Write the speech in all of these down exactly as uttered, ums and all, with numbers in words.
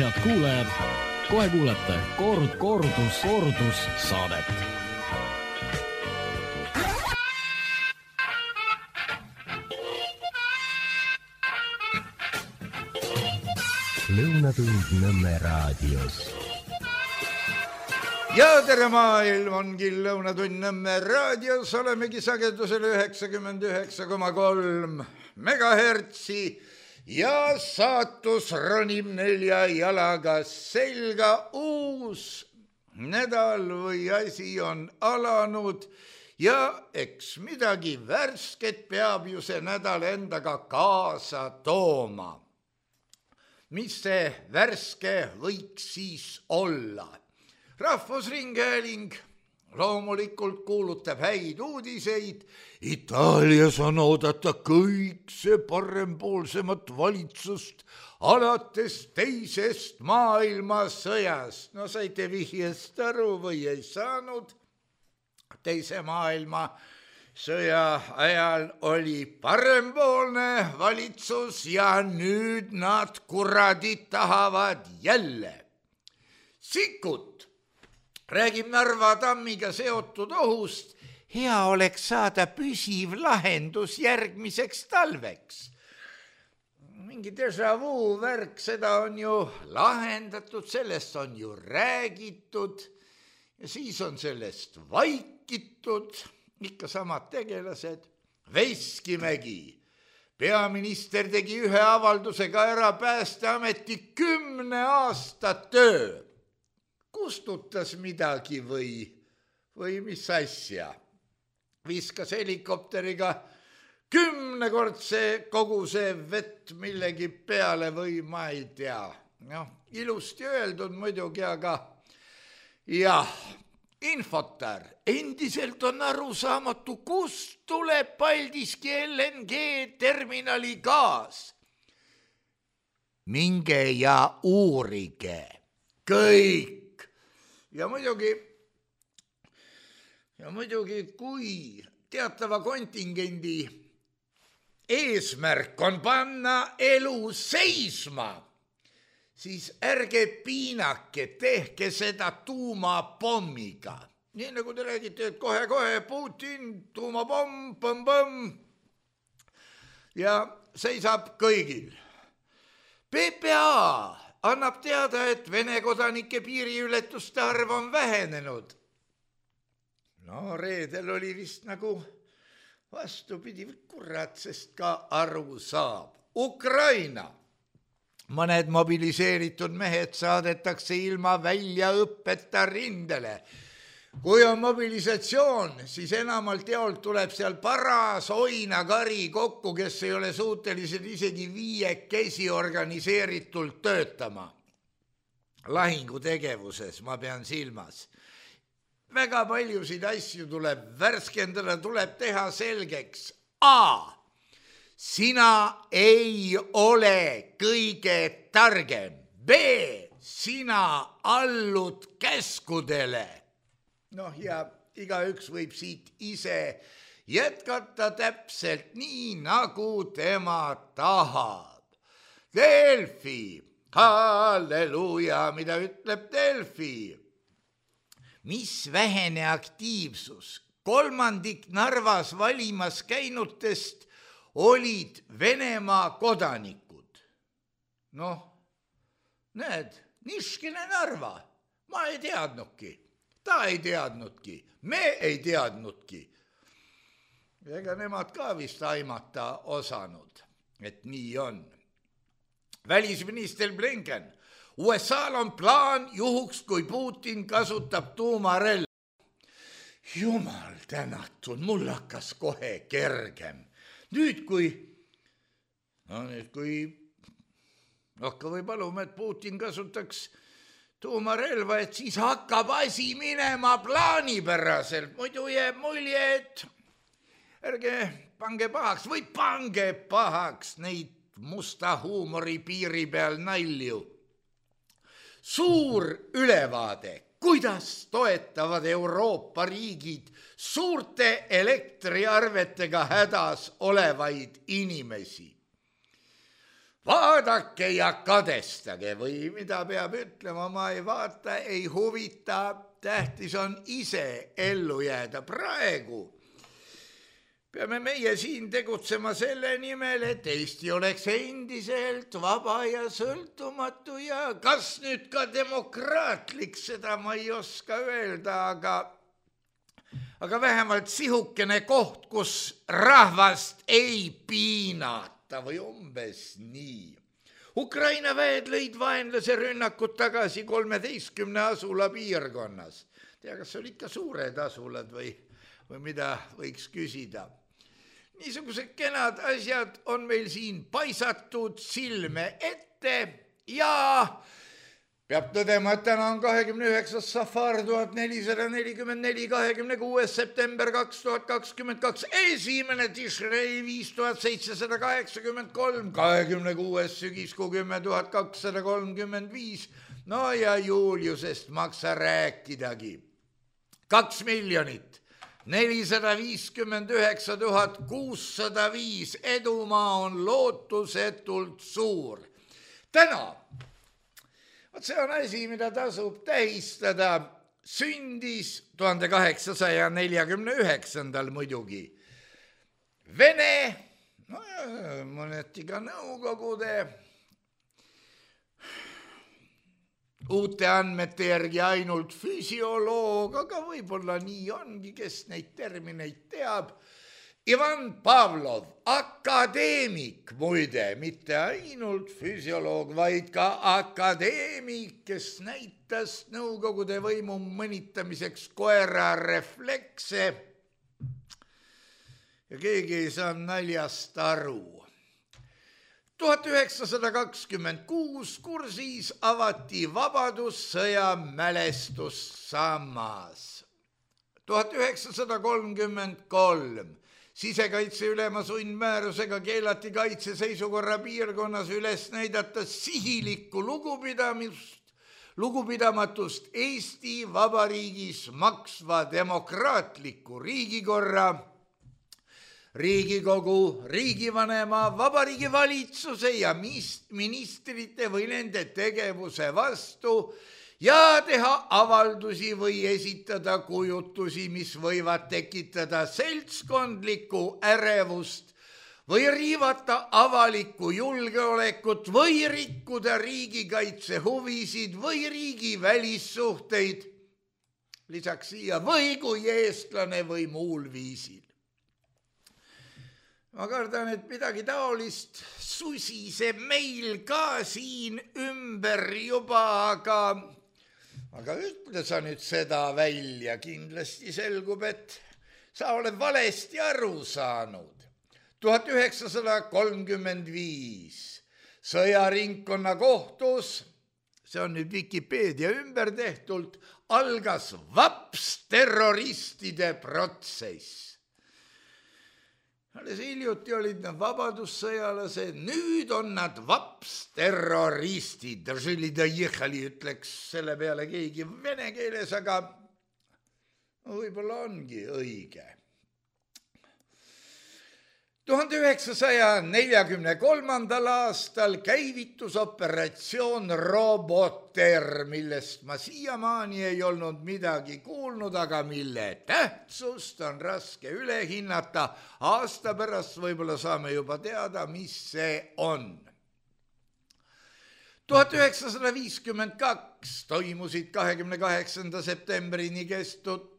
Head kuulajad, kohe kuulete kord, kordus, kordus saadet. Lõunatund Nõmme raadios. Ja tere maailm ongi Lõunatund Nõmme raadios. Olemegi sagedusel üheksakümmend üheksa koma kolm megahertsi ja saatus ronib nelja jalaga selga. Uus nädal või asi on alanud ja eks midagi värsket peab ju see nädal endaga kaasa tooma. Mis see värske võiks siis olla? Rahvusringhääling loomulikult kuulutab häid uudiseid. Itaalias on oodata kõik see parempoolsemat valitsust alates teisest maailmasõjast. No saite vihjest aru või ei saanud? Teise maailmasõja ajal oli parempoolne valitsus ja nüüd nad kuradid tahavad jälle. Sikkut räägib Narva tammiga seotud ohust. Hea oleks saada püsiv lahendus järgmiseks talveks. Mingi déjà vu värk, seda on ju lahendatud, sellest on ju räägitud ja siis on sellest vaikitud, ikka samad tegelased. Veskimägi, peaminister tegi ühe avaldusega ära Päästeameti kümne aasta töö. Kustutas midagi või, või mis asja? Viskas helikopteriga kümnekordse koguse vett millegi peale või ma ei tea. No, ilusti öeldud muidugi, aga jah, Infotar endiselt on aru saamatu, kust tuleb Paldiski L N G terminali gaas. Minge ja uurige kõik. Ja muidugi, ja muidugi, kui teatava kontingendi eesmärk on panna elu seisma, siis ärge piinake, tehke seda tuumapommiga. Nii nagu te räägite, et kohe-kohe Putin, tuumapomm, põmm-põmm ja seisab kõigil. P P A annab teada, et Vene kodanike piiriületuste arv on vähenenud. No reedel oli vist nagu vastupidi, kurat, sest ka aru saab. Ukraina. Mõned mobiliseeritud mehed saadetakse ilma väljaõppeta rindele. Kui on mobilisatsioon, siis enamalt jaolt tuleb seal paras oinakari kokku, kes ei ole suutelised isegi viiekesi organiseeritult töötama. Lahingutegevuses ma pean silmas. Väga paljusid asju tuleb värskendada, tuleb teha selgeks. A. Sina ei ole kõige targem. B. Sina allud käskudele. Noh, ja igaüks võib siit ise jätkata täpselt nii, nagu tema tahab. Delfi, halleluuja, mida ütleb Delfi? Mis vähene aktiivsus? Kolmandik Narvas valimas käinutest olid Venemaa kodanikud. Noh, näed, niškine Narva, ma ei teadnudki. Ta ei teadnudki, me ei teadnudki. Ega nemad ka vist aimata osanud, et nii on. Välisminister Blinken, U S A-l on plaan juhuks, kui Putin kasutab tuumarelva. Jumal tänatud, mul hakkas kohe kergem. Nüüd kui, no nüüd kui, hakka või palume, et Putin kasutaks tuumarelva, et siis hakkab asi minema plaanipäraselt. Muidu jääb mulje, et ärge pange pahaks või pange pahaks neid musta huumori piiri peal nalju. Suur ülevaade, kuidas toetavad Euroopa riigid suurte elektriarvetega hädas olevaid inimesi. vaadake ja kadestage või mida peab ütlema, ma ei vaata, ei huvita, tähtis on ise ellu jääda. Praegu peame meie siin tegutsema selle nimel, et Eesti oleks endiselt vaba ja sõltumatu ja kas nüüd ka demokraatlik, seda ma ei oska öelda, aga, aga vähemalt sihukene koht, kus rahvast ei piinata või umbes nii. Ukraina väed lõid vaenlase rünnakut tagasi kolmeteistkümne asula piirkonnas. Tea, kas oli ikka suured asulad või, või mida võiks küsida? Niisugused kenad asjad on meil siin paisatud silme ette ja peab tõdema, et täna on kahekümne üheksas safar tuhat nelisada nelikümmend neli, kahekümne kuues september kaks tuhat kakskümmend kaks, esimene Tishrei viis tuhat seitsesada kaheksakümmend kolm, kahekümne kuues sügiskuu kümme tuhat kakssada kolmkümmend viis. No ja Juliusest maksa rääkidagi. Kaks miljonit. nelisada viiskümmend üheksa tuhat kuussada viis, edumaa on lootusetult suur. Täna, vot see on asi, mida tasub tähistada, sündis tuhande kaheksasaja neljakümne üheksandal muidugi Vene, no mõneti ka Nõukogude, uute andmete järgi ainult füsioloog, aga võib-olla nii ongi, kes neid termineid teab. Ivan Pavlov, akadeemik muide, mitte ainult füsioloog, vaid ka akadeemik, kes näitas Nõukogude võimu mõnitamiseks koera reflekse. Ja keegi ei saa naljast aru. tuhat üheksasada kakskümmend kuus kursis avati Vabadussõja mälestussammas. tuhat üheksasada kolmkümmend kolm sisekaitse ülema sundmäärusega keelati kaitseseisukorra piirkonnas üles näidata sihilikku lugupidamist, lugupidamatust Eesti Vabariigis maksva demokraatliku riigikorra, Riigikogu, riigivanema, Vabariigi valitsuse ja ministrite või nende tegevuse vastu ja teha avaldusi või esitada kujutusi, mis võivad tekitada seltskondlikku ärevust või riivata avalikku julgeolekut või rikkuda riigikaitse huvisid või riigi välissuhteid, lisaks siia või kui eestlane või muul viisil. Ma kardan, et midagi taolist susiseb meil ka siin ümber juba, aga, aga ütle sa nüüd seda välja, kindlasti selgub, et sa oled valesti aru saanud. tuhat üheksasada kolmkümmend viis sõjaringkonna kohtus, see on nüüd Wikipeedia ümber tehtult, algas vaps terroristide protsess. Alles hiljuti olid nad vabadussõjalased, nüüd on nad vaps terroristid. Ütleks selle peale keegi vene keeles, aga võib-olla ongi õige. tuhande üheksasaja neljakümne kolmandal aastal käivitus operatsioon Roboter, millest ma siiamaani ei olnud midagi kuulnud, aga mille tähtsust on raske üle hinnata. Aasta pärast võib-olla saame juba teada, mis see on. tuhat üheksasada viiskümmend kaks toimusid kahekümne kaheksanda septembrini kestud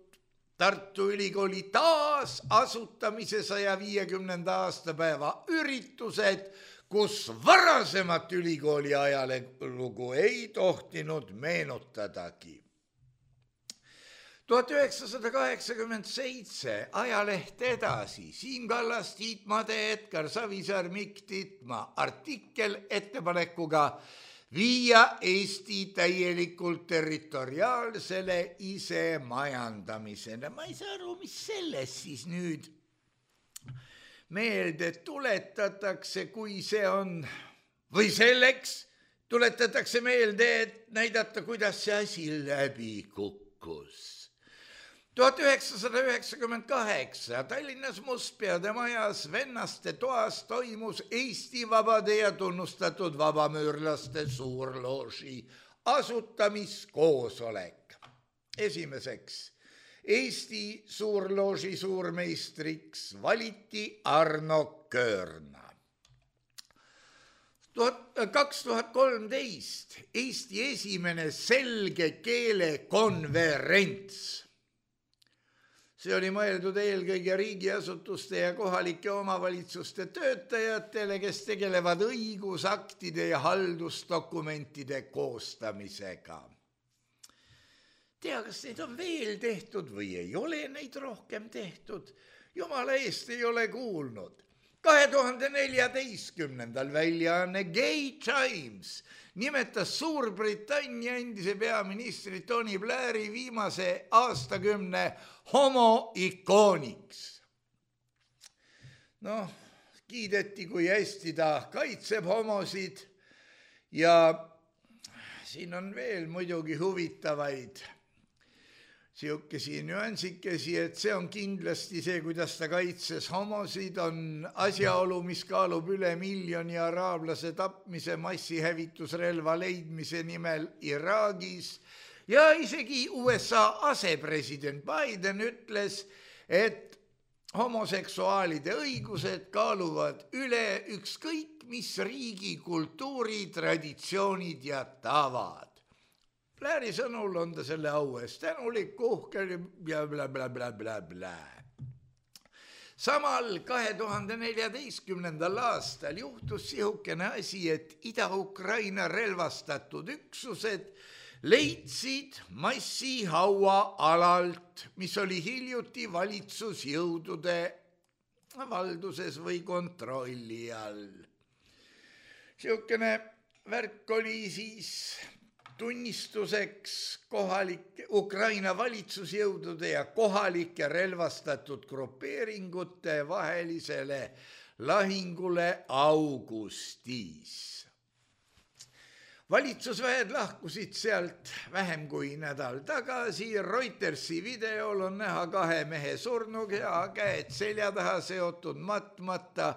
Tartu Ülikooli taasasutamise saja viiekümnenda aastapäeva üritused, kus varasemat ülikooli ajalugu ei tohtinud meenutadagi. tuhat üheksasada kaheksakümmend seitse ajaleht Edasi, Siim Kallas, Tiit Made, Edgar Savisaar, Mikk Titma, artikkel ettepanekuga viia Eesti täielikult territoriaalsele isemajandamisele. Ma ei saa aru, mis selles siis nüüd meelde tuletatakse, kui see on, või selleks tuletatakse meelde, et näidata, kuidas see asi läbi kukkus. tuhat üheksasada üheksakümmend kaheksa Tallinnas Mustpeade majas Vennaste toas toimus Eesti Vabade ja tunnustatud vabamüürlaste suurlooži asutamiskoosolek. Esimeseks Eesti suurlooži suurmeistriks valiti Arno Köörna. kaks tuhat kolmteist Eesti esimene selge keele konverents. See oli mõeldud eelkõige riigiasutuste ja kohalike omavalitsuste töötajatele, kes tegelevad õigusaktide ja haldusdokumentide koostamisega. Tea, kas neid on veel tehtud või ei ole neid rohkem tehtud? Jumala eest ei ole kuulnud. kahe tuhande neljateistkümnendal väljaanne Gay Times nimetas Suurbritannia endise peaministri Tony Blairi viimase aastakümne homoikooniks. Noh, kiideti, kui hästi ta kaitseb homosid ja siin on veel muidugi huvitavaid siukesi nüansikesi, et see on kindlasti see, kuidas ta kaitses homosid, on asjaolu, mis kaalub üle miljoni araablase tapmise massihävitusrelva leidmise nimel Iraagis ja isegi U S A asepresident Biden ütles, et homoseksuaalide õigused kaaluvad üle ükskõik mis riigi kultuuri, traditsioonid ja tavad. Blairi sõnul on ta selle au eest tänulik, uhkel ja bla bla bla bla bla. Samal kahe tuhande neljateistkümnendal aastal juhtus sihukene asi, et Ida-Ukraina relvastatud üksused leidsid massihaua alalt, mis oli hiljuti valitsusjõudude valduses või kontrolli all. Sihukene värk oli siis tunnistuseks kohalike Ukraina valitsusjõudude ja kohalike relvastatud grupeeringute vahelisele lahingule augustis. Valitsusväed lahkusid sealt vähem kui nädal tagasi. Reutersi videol on näha kahe mehe surnukeha, käed selja taha seotud matmata.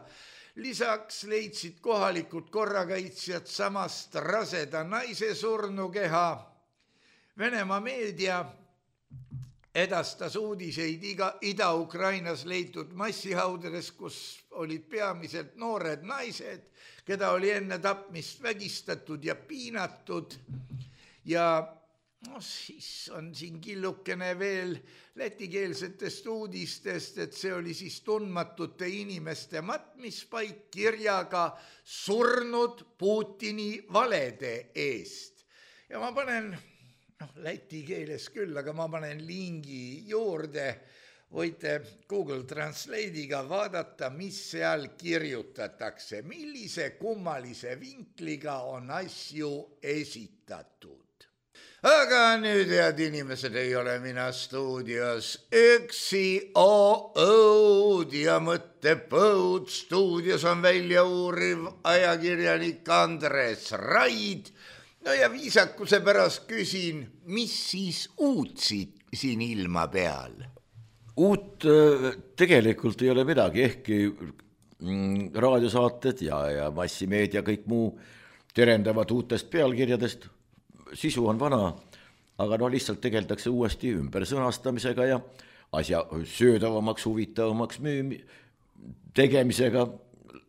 Lisaks leidsid kohalikud korrakaitsjad samast raseda naise surnukeha. Venemaa meedia edastas uudiseid Ida-Ukrainas leitud massihaudades, kus olid peamiselt noored naised, keda oli enne tapmist vägistatud ja piinatud. Ja no, siis on siin killukene veel lätikeelsetest uudistest, et see oli siis tundmatute inimeste matmispaik kirjaga surnud Putini valede eest. Ja ma panen, noh, läti keeles küll, aga ma panen lingi juurde. Võite Google Translate'iga vaadata, mis seal kirjutatakse, millise kummalise vinkliga on asju esitatud. Aga nüüd, head inimesed, ei ole mina stuudios üksi O-õud ja mõttepõud. Stuudios on välja uuriv ajakirjanik Andres Raid. No ja viisakuse pärast küsin, mis siis uut siin ilma peal? Uut tegelikult ei ole midagi, ehkki raadiosaated ja, ja massimeedia kõik muu terendavad uutest pealkirjadest. Sisu on vana, aga no lihtsalt tegeldakse uuesti ümber sõnastamisega ja asja söödavamaks, huvitavamaks müü- tegemisega.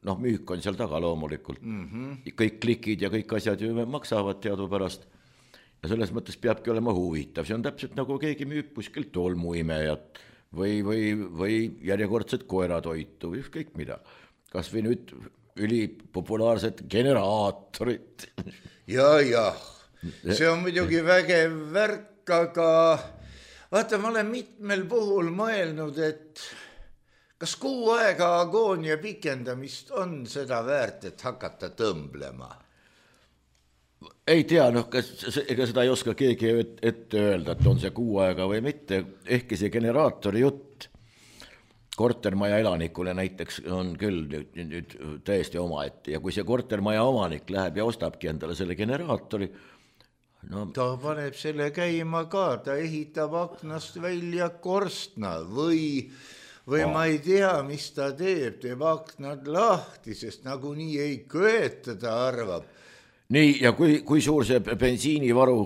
Noh, müük on seal taga loomulikult. Mm-hmm. Kõik klikid ja kõik asjad ju maksavad teadupärast. Ja selles mõttes peabki olema huvitav. See on täpselt nagu keegi müüb kuskil tolmuimejat või, või, või järjekordset koeratoitu või ükskõik mida. Kas või nüüd ülipopulaarset generaatorit. Ja, ja. See on muidugi vägev värk, aga vaata, ma olen mitmel puhul mõelnud, et kas kuu aega agoonia pikendamist on seda väärt, et hakata tõmblema? Ei tea, noh, kas, ega seda ei oska keegi ette öelda, et on see kuu aega või mitte. Ehkki see generaatori jutt kortermaja elanikule näiteks on küll nüüd, nüüd täiesti oma ette. Ja kui see kortermaja omanik läheb ja ostabki endale selle generaatori, no, ta paneb selle käima ka, ta ehitab aknast välja korstna või, või oh. ma ei tea, mis ta teeb, teeb aknad lahti, sest nagunii ei köeta, ta arvab. Nii, ja kui, kui suur see bensiinivaru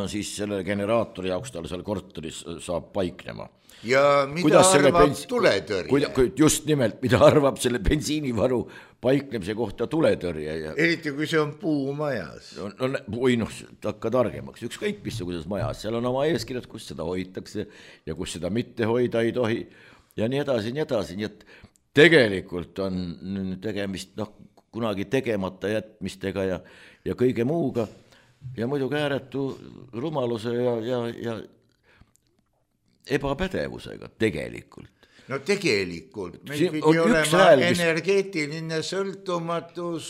siis selle generaatori jaoks tal seal korteris saab paiknema? Ja mida kuidas arvab bens... tuletõrje? Just nimelt, mida arvab selle bensiinivaru paiknemise kohta tuletõrje? Ja... eriti kui see on puumajas. No, no, või noh, hakka targemaks. Ükskõik missuguses majas. Seal on oma eeskirjad, kus seda hoitakse ja kus seda mitte hoida ei tohi. Ja nii edasi, nii edasi. Nii et tegelikult on tegemist noh, kunagi tegemata jätmistega ja, ja kõige muuga. Ja muidugi ääretu rumaluse ja, ja, ja ebapädevusega tegelikult. No tegelikult. Meil pidi olema hääl, mis... energeetiline sõltumatus,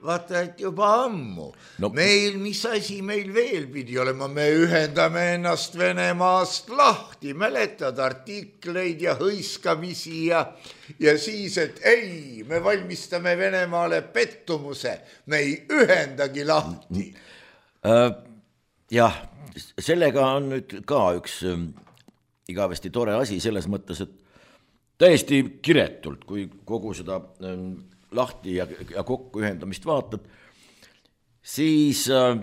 vaata, et juba ammu. No... Meil, mis asi meil veel pidi olema? Me ühendame ennast Venemaast lahti, mäletad artikleid ja hõiskamisi ja, ja siis, et ei, me valmistame Venemaale pettumuse, me ei ühendagi lahti. Äh, jah, sellega on nüüd ka üks... igavesti tore asi selles mõttes, et täiesti kiretult, kui kogu seda lahti ja, ja kokku ühendamist vaatad, siis äh,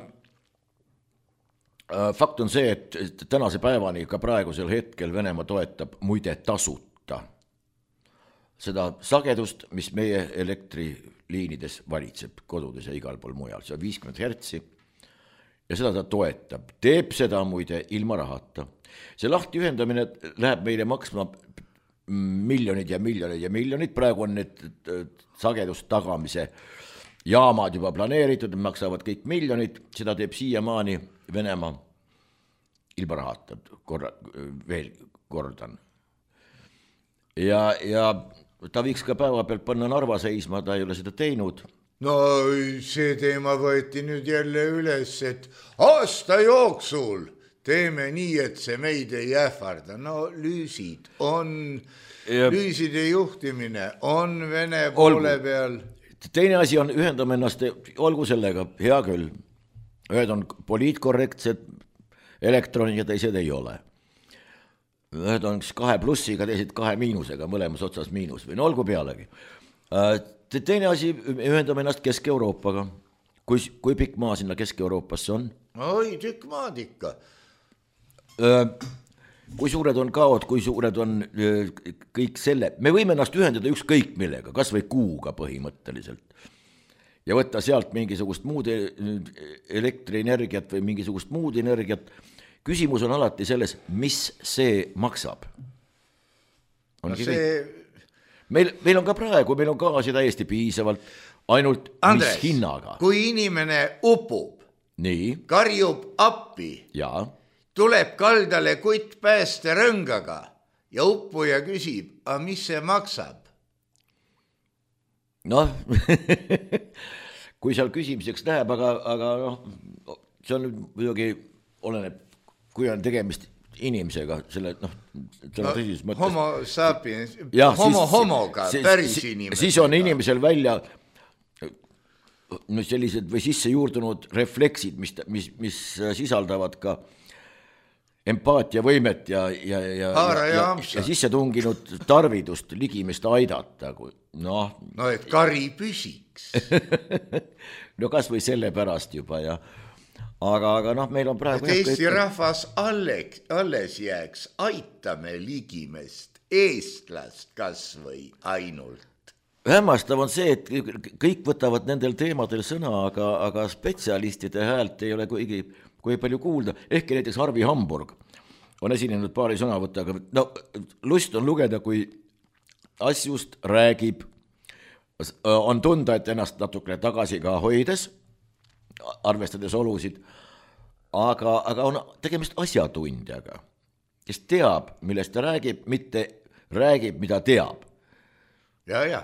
fakt on see, et tänase päevani ka praegusel hetkel Venemaa toetab muide tasuta seda sagedust, mis meie elektriliinides valitseb kodudes ja igal pool mujal. See on viiskümmend hertsi ja seda ta toetab. Teeb seda muide ilma rahata. See lahti ühendamine läheb meile maksma miljonid ja miljonid ja miljonid. Praegu on need sagedust tagamise jaamad juba planeeritud, maksavad kõik miljonid. Seda teeb siiamaani Venemaa ilma rahata, korra, veel kordan. Ja, ja ta võiks ka päeva pealt panna Narva seisma, ta ei ole seda teinud. No see teema võeti nüüd jälle üles, et aasta jooksul teeme nii, et see meid ei ähvarda. No lüüsid on, ja... lüüside juhtimine on Vene poole olgu. Peal. Teine asi on ühendame ennast, olgu sellega, hea küll. Ühed on poliitkorrektsed elektronid ja teised ei ole. Ühed on kahe plussiga, teised kahe miinusega, mõlemas otsas miinus või no olgu pealegi. Teine asi, ühendame ennast Kesk-Euroopaga. Kui, kui pikk maa sinna Kesk-Euroopasse on? Oi, tükk maad ikka. Kui suured on kaod, kui suured on kõik selle. Me võime ennast ühendada ükskõik millega, kas või kuuga põhimõtteliselt. Ja võtta sealt mingisugust muud elektrienergiat või mingisugust muud energiat. Küsimus on alati selles, mis see maksab. Ongi no see... Meil, meil on ka praegu, meil on gaasi täiesti piisavalt, ainult Andres, mis hinnaga. Kui inimene upub, nii. Karjub appi, ja. Tuleb kaldale kutt pääste rõngaga ja uppuja küsib, a mis see maksab? Noh, kui seal küsimiseks läheb, aga, aga noh, see on muidugi oleneb, kui on tegemist inimesega, selle, noh, selle tõsises mõttes. Homo sapiens, ja, homo siis, homoga, siis, päris inimesega. Siis on inimesel välja no sellised või sisse juurdunud refleksid, mis, mis, mis sisaldavad ka empaatiavõimet ja, ja, ja, ja, ja, ja sisse tunginud tarvidust ligimest aidata. No, no et kari püsiks. No kas või selle pärast juba ja aga, aga noh, meil on praegu... Et Eesti kõik... rahvas alles, alles jääks, aitame ligimest, eestlast kas või ainult. Hämmastav on see, et kõik võtavad nendel teemadel sõna, aga, aga spetsialistide häält ei ole kuigi, kui palju kuulda. Ehkki näiteks Arvi Hamburg on esinenud paari sõnavõttaga. No, lust on lugeda, kui asjust räägib, on tunda, et ennast natukene tagasi ka hoides, arvestades olusid, aga, aga on tegemist asjatundjaga, kes teab, millest ta räägib, mitte räägib, mida teab. Ja, ja.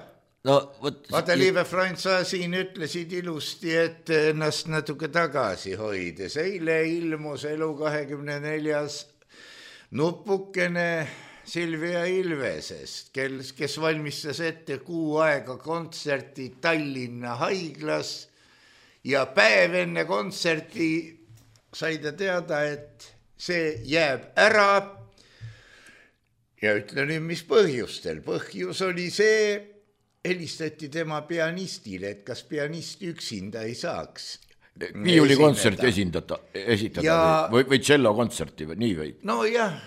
No, võt... Vaata, Liive Frans, sa siin ütlesid ilusti, et ennast natuke tagasi hoides. Eile ilmus Elu kahekümne neljas nupukene Silvia Ilvesest, kes, kes valmistas ette kuu aega kontserti Tallinna haiglas ja päev enne kontserti sai ta teada, et see jääb ära ja ütle nüüd, mis põhjustel. Põhjus oli see, helistati tema pianistile, et kas pianist üksinda ei saaks viiulikontserti esindada, esitada ja... või, või tšellokontserti või nii või? No jah.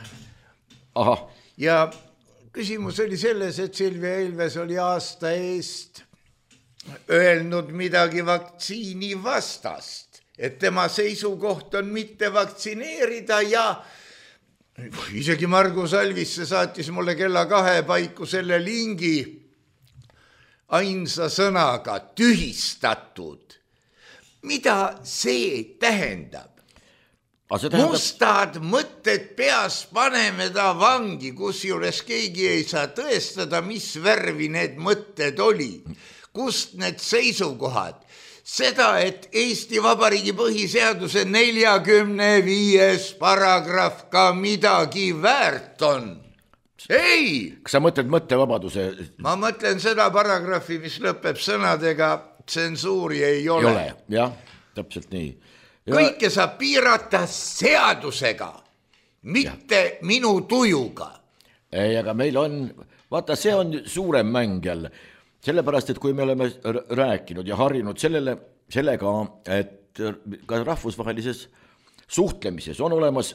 Aha. Ja küsimus oli selles, et Silvia Ilves oli aasta eest öelnud midagi vaktsiini vastast, et tema seisukoht on mitte vaktsineerida ja isegi Margus Alvisse saatis mulle kella kahe paiku selle lingi ainsa sõnaga tühistatud. Mida see tähendab? Tähendab... Mustad mõtted peas paneme ta vangi, kus juures keegi ei saa tõestada, mis värvi need mõtted oli. Kust need seisukohad? Seda, et Eesti Vabariigi põhiseaduse neljakümne viies paragrahv ka midagi väärt on. Ei! Kas sa mõtled mõttevabaduse? Ma mõtlen seda paragrahvi, mis lõpeb sõnadega tsensuuri ei ole. Ei ole, jah, täpselt nii. Ja... Kõike saab piirata seadusega, mitte ja. Minu tujuga. Ei, aga meil on, vaata, see on suurem mäng jälle. Sellepärast, et kui me oleme rääkinud ja harjunud sellele, sellega, et ka rahvusvahelises suhtlemises on olemas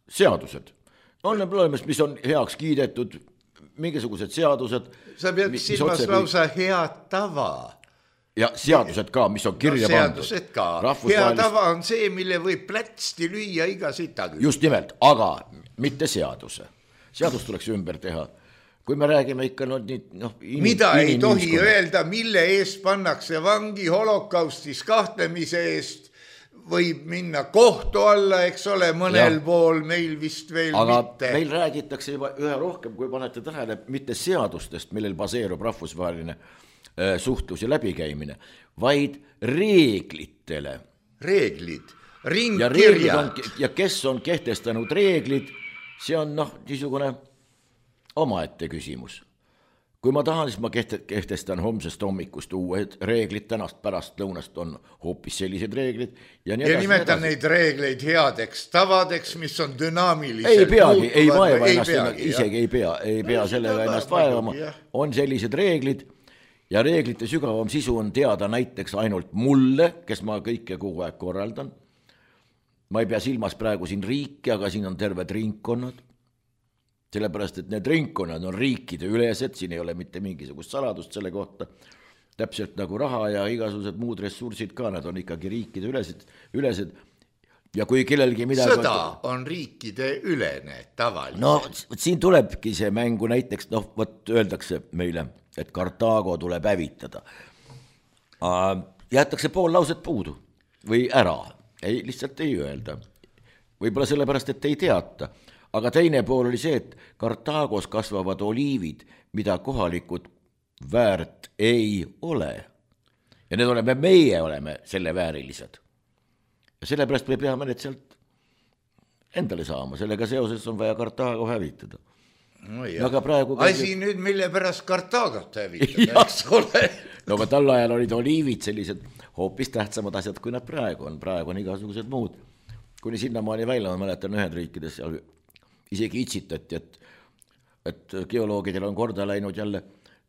seadused. On olemas, mis on heaks kiidetud, mingisugused seadused. Sa pead silmas lausa head tava. Ja seadused ka, mis on kirja no, pandud. Seadused ka. Hea tava on see, mille võib plätsti lüüa iga sita küll. Just nimelt, aga mitte seaduse. Seadus tuleks ümber teha. Kui me räägime ikka no, no, in, mida in, ei in, tohi in, öelda, mille eest pannakse vangi holokaustis kahtlemise eest, võib minna kohtu alla, eks ole, mõnel ja. Pool, meil vist veel aga mitte. Aga meil räägitakse juba ühe rohkem, kui panete tähele, mitte seadustest, millel baseerub rahvusvaheline äh, suhtlus ja läbikäimine, vaid reeglitele. Reeglid, ringkirjad. Ja, ja kes on kehtestanud reeglid, see on noh, niisugune omaette küsimus. Kui ma tahan, siis ma kehtestan homsest hommikust uued reeglid, tänast pärast lõunast on hoopis sellised reeglid. Ja, nii ja nimetan neid reegleid headeks tavadeks, mis on dünaamiliselt. Ei peagi, ei vaeva ennast, peagi, isegi ei pea, ei pea sellega ennast vaevama. On sellised reeglid ja reeglite sügavam sisu on teada näiteks ainult mulle, kes ma kõike kogu aeg korraldan. Ma ei pea silmas praegu siin riiki, aga siin on terved ringkonnad. Sellepärast, et need ringkonnad on riikide ülesed, siin ei ole mitte mingisugust saladust selle kohta, täpselt nagu raha ja igasugused muud ressursid ka, nad on ikkagi riikide ülesed, ülesed. Ja kui kellelgi midagi... Sõda on riikide ülene tavaliselt. No siin tulebki see mängu näiteks, noh, võt öeldakse meile, et Kartaago tuleb hävitada. Jäetakse pool lauset puudu või ära, ei, lihtsalt ei öelda. Võib-olla sellepärast, et ei teata. Aga teine pool oli see, et Kartaagos kasvavad oliivid, mida kohalikud väärt ei ole. Ja need oleme, meie oleme selle väärilised. Ja sellepärast me peame need sealt endale saama. Sellega seoses on vaja Kartaago hävitada. No aga praegu... Asi käib... nüüd, mille pärast Kartaagot hävitada, eks ole. No aga tal ajal olid oliivid sellised hoopis tähtsamad asjad, kui nad praegu on. Praegu on igasugused muud. Kuni sinnamaani välja, ma mäletan ühed riikides seal isegi itsitati, et, et geoloogidel on korda läinud jälle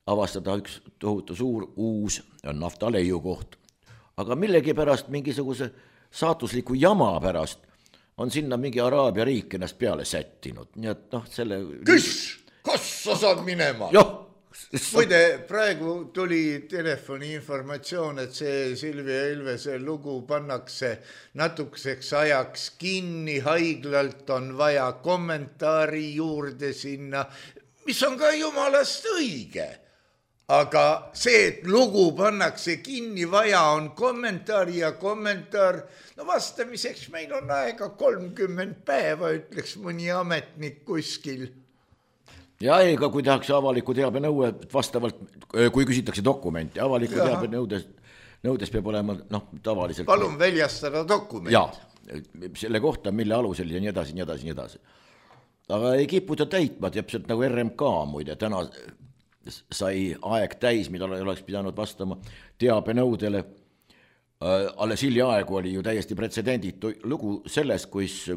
avastada üks tohutu suur uus naftaleiu koht. Aga millegi pärast, mingisuguse saatusliku jama pärast on sinna mingi Araabia riik ennast peale sättinud. Nii et noh, selle... Küss! Kas sa saad minema? Joh! Muide, praegu tuli telefoni informatsioon, et see Silvia Ilvese lugu pannakse natukeseks ajaks kinni, haiglalt on vaja kommentaari juurde sinna, mis on ka jumalast õige. Aga see, et lugu pannakse kinni, vaja on kommentaari ja kommentaar, no vastamiseks meil on aega kolmkümmend päeva, ütleks mõni ametnik kuskil. Ja ei, ka kui tehakse avaliku teabe nõue, vastavalt, kui küsitakse dokumenti, avaliku Jaha. Teabe nõudes, nõudes peab olema noh, tavaliselt... Palun väljastada dokument. Ja, selle kohta, mille alusel ja nii edasi, nii edasi, nii edasi. Aga ei kiputa täitma, täpselt nagu R M K muide, täna sai aeg täis, mida oleks pidanud vastama teabe nõudele. alles hiljaaegu oli ju täiesti pretsedenditu lugu selles, kus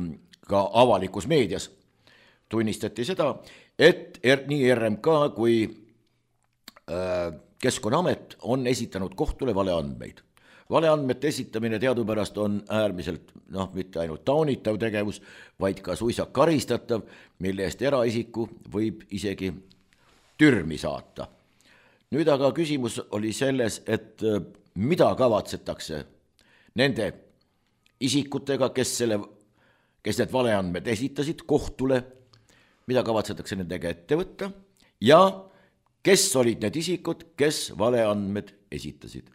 ka avalikus meedias tunnistati seda, et er, nii R M K kui äh, Keskkonnaamet on esitanud kohtule valeandmeid. Valeandmete esitamine teadupärast on äärmiselt, noh, mitte ainult taunitav tegevus, vaid ka suisa karistatav, mille eest eraisiku võib isegi türmi saata. Nüüd aga küsimus oli selles, et mida kavatsetakse nende isikutega, kes, selle, kes need valeandmed esitasid kohtule, mida kavatsetakse nendega ette võtta ja kes olid need isikud, kes valeandmed esitasid.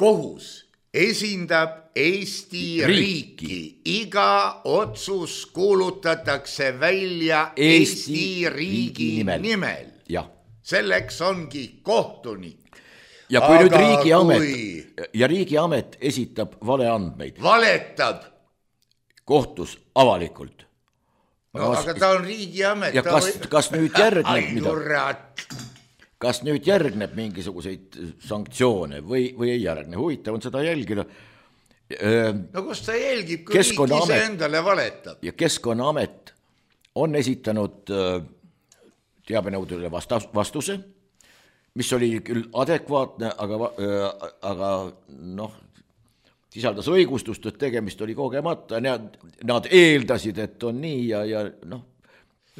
Kohus esindab Eesti riiki. riiki. Iga otsus kuulutatakse välja Eesti, Eesti riigi nimel. nimel. Ja. Selleks ongi kohtunik. Ja kui Aga nüüd riigiamet kui... ja riigiamet esitab valeandmeid. Valetab. Kohtus avalikult. No, kas... aga ta on riigiamet. Ja kas, või... kas nüüd järgneb midagi? Kas nüüd järgneb mingisuguseid sanktsioone või, või ei järgne? Huvitav on seda jälgida. No kus ta jälgib, kui riik ise endale valetab? Ja Keskkonnaamet on esitanud teabenõudele vastuse, mis oli küll adekvaatne, aga, aga noh, sisaldas õigustust, et tegemist oli kogemata. Nad, nad eeldasid, et on nii ja, ja noh.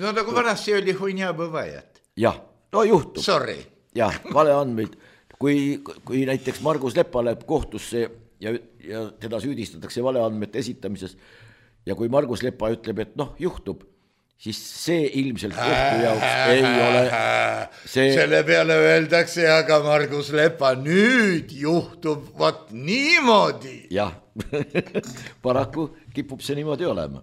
No nagu vanasti oli huinja põvajat. Jah, no juhtub. Sorry. Jah, valeandmeid. Kui, kui näiteks Margus Lepa läheb kohtusse ja, ja teda süüdistatakse valeandmete esitamises ja kui Margus Lepa ütleb, et noh, juhtub, siis see ilmselt kohtu jaoks ei ole see... Selle peale öeldakse, aga Margus Lepa nüüd juhtub vat niimoodi. Jah, paraku kipub see niimoodi olema.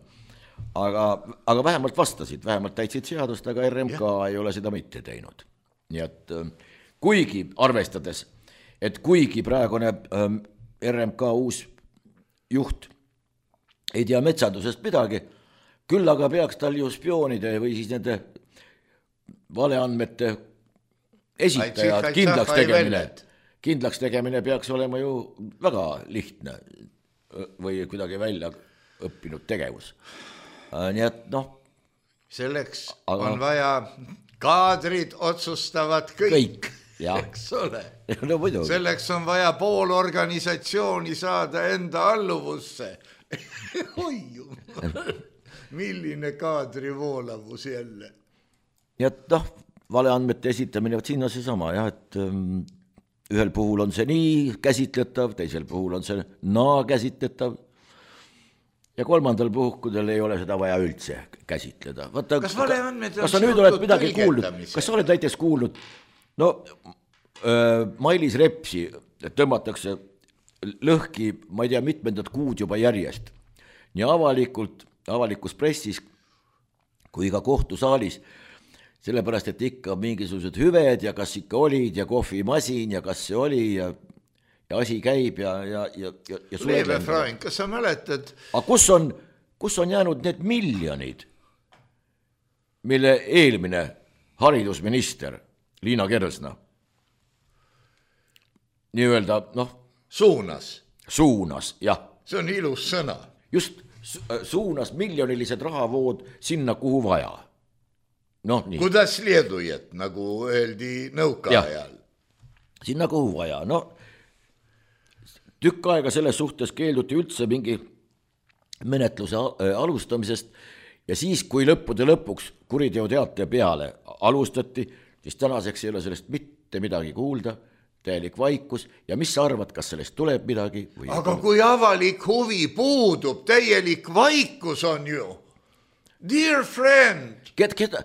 Aga, aga vähemalt vastasid, vähemalt täitsid seadust, aga R M K ja. ei ole seda mitte teinud. Nii et kuigi arvestades, et kuigi praegune R M K uus juht ei tea metsandusest midagi, küll aga peaks tal ju spioonide või siis nende valeandmete esitajad kindlaks tegemine. Kindlaks tegemine peaks olema ju väga lihtne või kuidagi välja õppinud tegevus. Nii et noh. Selleks aga... on vaja kaadrid otsustavad kõik, kõik eks ole. No, selleks on vaja pool organisatsiooni saada enda alluvusse. Oi jumal. Milline kaadri voolavus jälle. Ja noh, valeandmete esitamine, sinna see sama, jah, et um, ühel puhul on see nii käsitletav, teisel puhul on see naa käsitletav ja kolmandal puhkudel ei ole seda vaja üldse käsitleda. Vaata, kas valeandmed kas sa nüüd oled midagi kuulnud? Kas sa oled näiteks kuulnud? No, äh, Mailis Repsi tõmmatakse lõhki, ma ei tea, mitmendat kuud juba järjest. Nii avalikult avalikus pressis kui ka kohtusaalis, sellepärast, et ikka mingisugused hüved ja kas ikka olid ja kohvimasin ja kas see oli ja, ja asi käib ja, ja, ja, ja Leeve Frank, kas sa mäletad? Aga kus on, kus on jäänud need miljonid, mille eelmine haridusminister Liina Kersna nii-öelda, noh, suunas. Suunas, jah. See on ilus sõna. Just suunas miljonilised rahavood sinna, kuhu vaja. No, nii. Kuidas liedujat, nagu öeldi nõuka ja, ajal. Sinna, kuhu vaja. No, tükk aega selles suhtes keelduti üldse mingi menetluse alustamisest ja siis, kui lõppude lõpuks kuriteoteate peale alustati, siis tänaseks ei ole sellest mitte midagi kuulda. Täielik vaikus ja mis sa arvad, kas sellest tuleb midagi? Või aga tuleb? Kui avalik huvi puudub, täielik vaikus on ju. Dear friend. Keda, keda?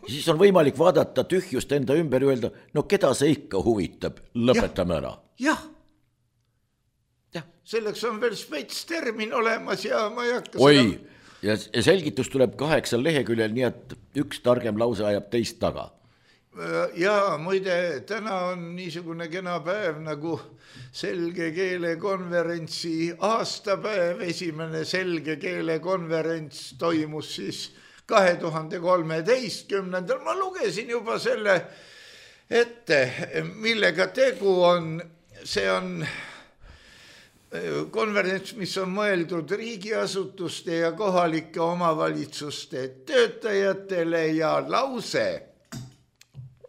Siis on võimalik vaadata tühjust enda ümber ja öelda, no keda see ikka huvitab, lõpetame ära. Jah, jah. Selleks on veel spets termin olemas ja ma ei hakka Oi, seda... ja, ja selgitus tuleb kaheksal leheküljel, nii et üks targem lause ajab teist taga. Ja muide, täna on niisugune kena päev nagu selge keele konverentsi aastapäev. Esimene selge keele konverents toimus siis kahe tuhande kolmeteistkümnendal. Ma lugesin juba selle ette, millega tegu on. See on konverents, mis on mõeldud riigiasutuste ja kohalike omavalitsuste töötajatele ja lause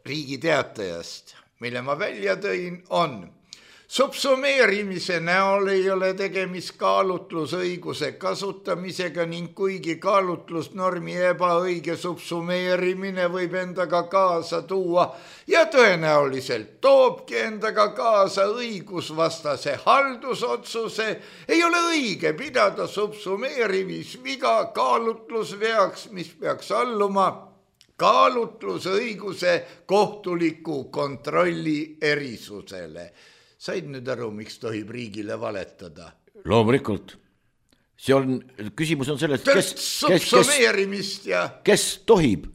Riigi Teatajast, mille ma välja tõin, on subsumeerimise näol ei ole tegemist kaalutlusõiguse kasutamisega ning kuigi kaalutlusnormi ebaõige subsumeerimine võib endaga kaasa tuua ja tõenäoliselt toobki endaga kaasa õigusvastase haldusotsuse, ei ole õige pidada subsumeerimisviga kaalutlusveaks, mis peaks alluma kaalutlusõiguse kohtuliku kontrolli erisusele. Said nüüd aru, miks tohib riigile valetada? Loomulikult. See on, küsimus on selles, kes, kes, kes, ja... kes tohib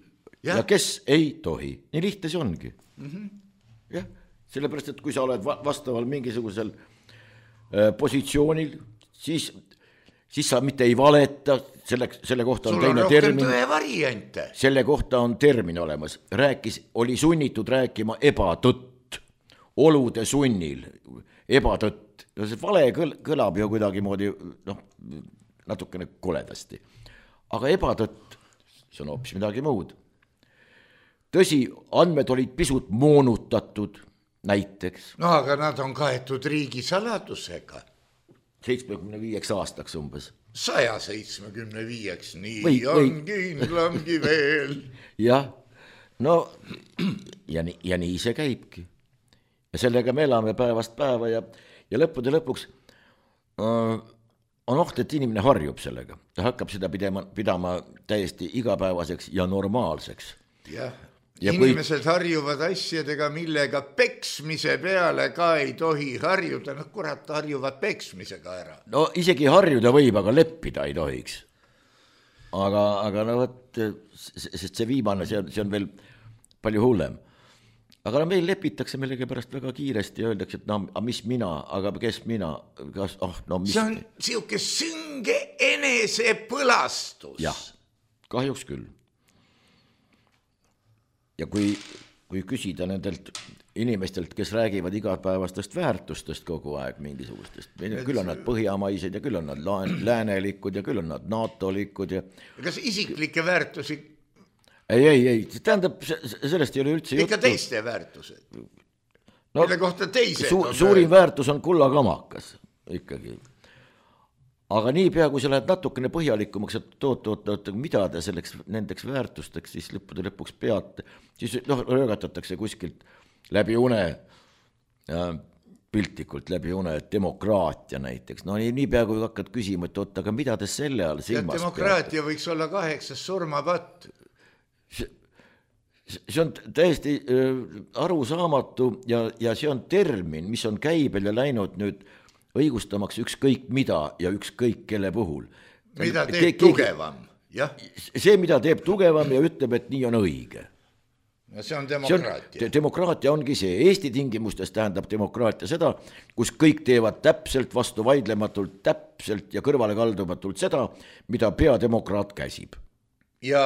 ja. ja kes ei tohi. Nii lihtne see ongi. Mm-hmm. Jah, sellepärast, et kui sa oled vastaval mingisugusel äh, positsioonil, siis, siis sa mitte ei valeta, selle, selle kohta on sul teine on termin. Tõe variante. Selle kohta on termin olemas. Rääkis, oli sunnitud rääkima ebatõtt. Olude sunnil, ebatõtt. See vale kõl, kõlab ju kuidagi moodi, noh, natukene koledasti. Aga ebatõtt, see on hoopis midagi muud. Tõsi, andmed olid pisut moonutatud, näiteks. No aga nad on kaetud riigisaladusega. seitsmekümne viieks aastaks umbes. saja seitsmekümne viieks, nii või, on või. kindlamgi veel. Jah, no ja, nii, ja nii see käibki. Ja sellega me elame päevast päeva ja, ja lõppude lõpuks äh, on oht, et inimene harjub sellega. Ta hakkab seda pidama, pidama täiesti igapäevaseks ja normaalseks. Jah, ja inimesed kui... harjuvad asjadega, millega peksmise peale ka ei tohi harjuda. No kurat, harjuvad peksmisega ära. No isegi harjuda võib, aga leppida ei tohiks. Aga, aga no võt, sest see viimane, see on, see on veel palju hullem. Aga no meil lepitakse millegi pärast väga kiiresti ja öeldakse, et no, mis mina, aga kes mina, kas, oh, no mis... See on siuke sünge enese põlastus. Jah, kahjuks küll. Ja kui, kui küsida nendelt inimestelt, kes räägivad igapäevastest väärtustest kogu aeg mingisugustest, küll on nad põhjamaised ja küll on nad läänelikud ja küll on nad NATO-likud ja... Kas isiklikke väärtusi... Ei, ei, ei, tähendab, sellest ei ole üldse juttu. Ikka teiste väärtused. No, mille kohta teised su, on... Suurim väärtus on kullakamakas ikkagi. Aga nii pea, kui sa lähed natukene põhjalikumaks, et toot, toot, toot, mida te selleks nendeks väärtusteks siis lõppude lõpuks peate, siis noh, röögatatakse kuskilt läbi une, ja, piltlikult läbi une, demokraatia näiteks. No nii, nii pea, kui hakkad küsima, et oot, aga mida te selle all silmas peate? Demokraatia võiks olla kaheksas surmapatt. See on täiesti arusaamatu ja, ja see on termin, mis on käibel ja läinud nüüd õigustamaks ükskõik mida ja ükskõik kelle puhul. Mida teeb Ke- tugevam, jah? See, mida teeb tugevam ja ütleb, et nii on õige. Ja see on demokraatia. See on, demokraatia ongi see. Eesti tingimustes tähendab demokraatia seda, kus kõik teevad täpselt vastu vaidlematult, täpselt ja kõrvale kaldumatult seda, mida peademokraat käsib. Ja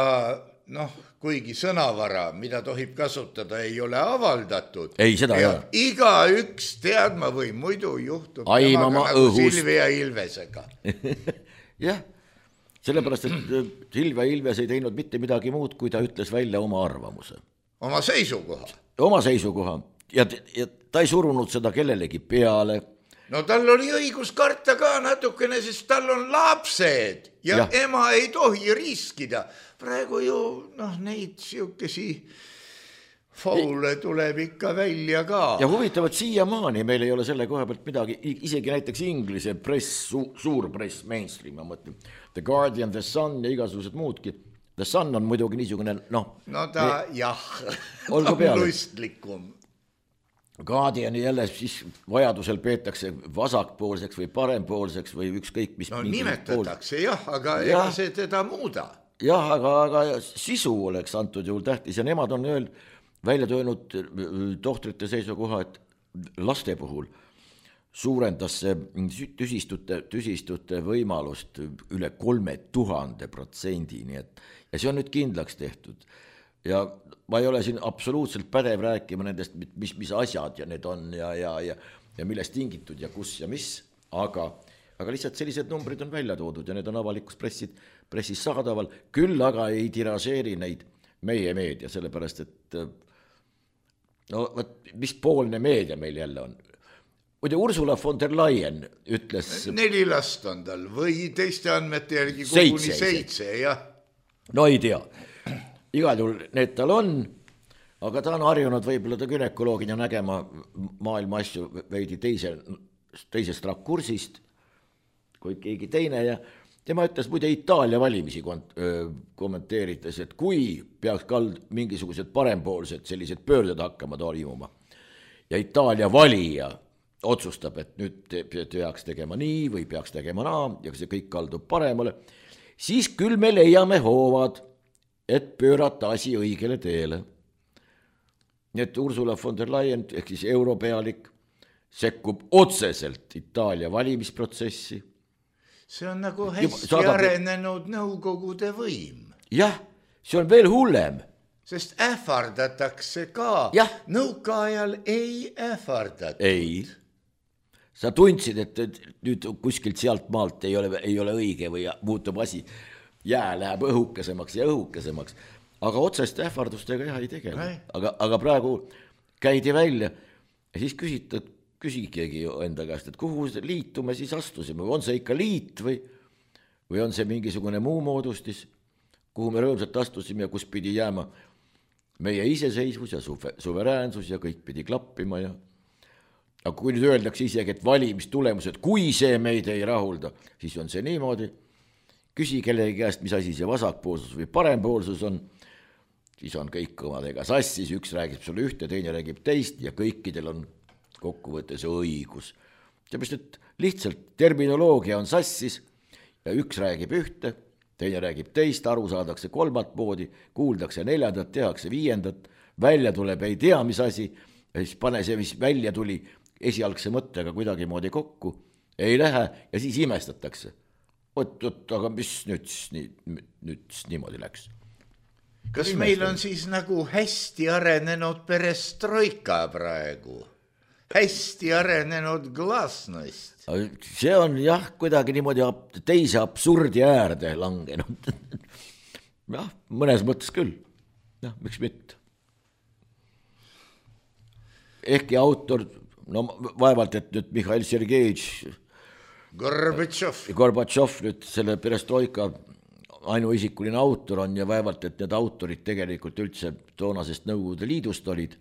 noh, kuigi sõnavara, mida tohib kasutada, ei ole avaldatud. Ei, seda ja ei. Iga üks teadma või muidu juhtub Aimama nagu õhust. Silvia Ilvesega. Jah, sellepärast, et Silvia Ilves ei teinud mitte midagi muud, kui ta ütles välja oma arvamuse. Oma seisukoha. Oma seisukoha. Ja, ja ta ei surunud seda kellelegi peale. No tal oli õigus karta ka natukene, sest tal on lapsed ja, ja ema ei tohi riskida. Praegu ju noh, neid siukesi faule tuleb ikka välja ka. Ja huvitavad siiamaani meil ei ole selle koha pealt midagi, isegi näiteks inglise press, su, suur press, mainstream, ma mõtlen, The Guardian, The Sun ja igasugused muudki. The Sun on muidugi niisugune, noh. No ta, me, jah, ta on lustlikum. Guardiani jälle siis vajadusel peetakse vasakpoolseks või parempoolseks või ükskõik mis. No nimetatakse pool... jah, aga ja, ega see teda muuda. Jah, aga, aga sisu oleks antud juhul tähtis ja nemad on öeld, välja töönud tohtrite seisukoha, et laste puhul suurendas see tüsistute, tüsistute võimalust üle kolme tuhande protsendi, nii et ja see on nüüd kindlaks tehtud. Ja ma ei ole siin absoluutselt pädev rääkima nendest, mis, mis asjad ja need on ja, ja, ja, ja millest tingitud ja kus ja mis. aga, aga lihtsalt sellised numbrid on välja toodud ja need on avalikus pressid, pressis saadaval, küll aga ei tiražeeri neid meie meedia, sellepärast et no võt, mis poolne meedia meil jälle on. Muide, Ursula von der Leyen ütles... Neli last on tal või teiste andmete järgi koguni seitse, jah. No ei tea, igal juhul need tal on, aga ta on harjunud võib-olla ta gynekoloogina nägema maailma asju veidi teise, teisest rakursist kui keegi teine ja tema ütles muide Itaalia valimisi kommenteerides, et kui peaks kald mingisugused parempoolsed sellised pöörded hakkama toimuma ja Itaalia valija otsustab, et nüüd peaks tegema nii või peaks tegema naa ja see kõik kaldub paremale, siis küll me leiame hoovad, et pöörata asi õigele teele. Nii et Ursula von der Leyen, ehk siis europealik, sekkub otseselt Itaalia valimisprotsessi. See on nagu hästi saadab... arenenud nõukogude võim. Jah, see on veel hullem. Sest ähvardatakse ka. Jah. Nõukaajal ei ähvardatud. Ei. Sa tundsid, et nüüd kuskilt sealt maalt ei ole, ei ole õige või muutub asi, jää läheb õhukesemaks ja õhukesemaks, aga otsest ähvardustega jah ei tegele. Aga, aga praegu käidi välja ja siis küsitad, küsikegi enda käest, et kuhu liitu me siis astusime, on see ikka liit või, või on see mingisugune muu moodustis, kuhu me rõõmsalt astusime ja kus pidi jääma meie iseseisvus ja suveräänsus ja kõik pidi klappima ja aga kui nüüd öeldakse isegi, et valimistulemused, kui see meid ei rahulda, siis on see niimoodi, küsi kellegi käest, mis asi see vasakpoolsus või parempoolsus on, siis on kõik kõmadega sassis, üks räägib sulle ühte, teine räägib teist ja kõikidel on kokkuvõttes õigus. Seepärast, et lihtsalt terminoloogia on sassis ja üks räägib ühte, teine räägib teist, aru saadakse kolmat moodi, kuuldakse neljandat, tehakse viiendat, välja tuleb ei tea, mis asi, ja siis pane see, mis välja tuli, esialgse mõttega kuidagi moodi kokku, ei lähe ja siis imestatakse. Oot, oot, aga mis nüüd, nüüd, nüüd niimoodi läks? Kas meil on siis nagu hästi arenenud perestroika praegu? Hästi arenenud glasnost? See on jah, kuidagi niimoodi teise absurdi äärde langenud. jah, mõnes mõttes küll. jah, miks mitte? Ehkki autor, no vaevalt, et nüüd Mihhail Sergejevitš Gorbatšov. Gorbatšov nüüd selle perestroika ainuisikuline autor on ja vaevalt, et need autorid tegelikult üldse toonasest Nõukogude Liidust olid.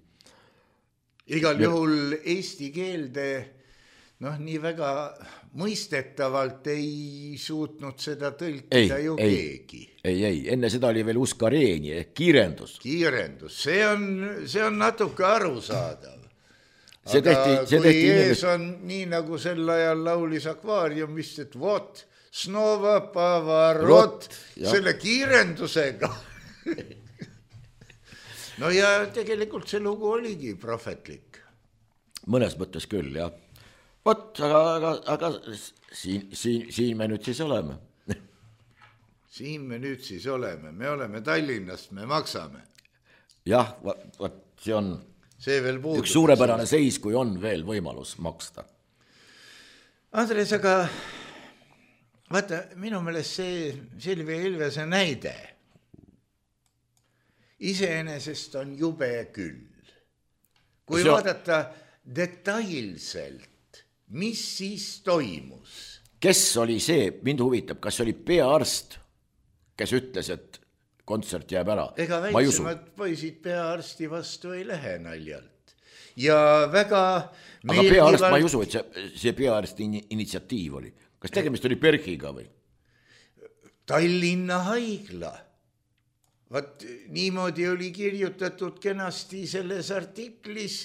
Igal juhul eesti keelde noh, nii väga mõistetavalt ei suutnud seda tõlkida ei, ju ei, keegi. Ei, ei, enne seda oli veel Uskareeni ehk kiirendus. Kiirendus, see on, see on natuke arusaadav. See aga tehti, see kui tehti ees inimest... on nii nagu sel ajal laulis akvaariumist, et vot, snova pavarot, selle kiirendusega. no ja tegelikult see lugu oligi prohvetlik. Mõnes mõttes küll, jah. Vot, aga, aga, aga siin, siin, siin me nüüd siis oleme. siin me nüüd siis oleme, me oleme Tallinnast, me maksame. jah, vot, see on... See veel puudub. Üks suurepärane seis, kui on veel võimalus maksta. Andres, aga vaata, minu meelest see Silvia Ilvese näide iseenesest on jube küll. Kui see... vaadata detailselt, mis siis toimus? Kes oli see, mind huvitab, kas oli peaarst, kes ütles, et kontsert jääb ära. Ega väiksemad poisid peaarsti vastu ei lähe naljalt. Ja väga aga meeldivalt... peaarst, ma ei usu, et see, see peaarsti initsiatiiv oli. Kas tegemist oli Bergiga või? Tallinna haigla. Vaat niimoodi oli kirjutatud kenasti selles artiklis,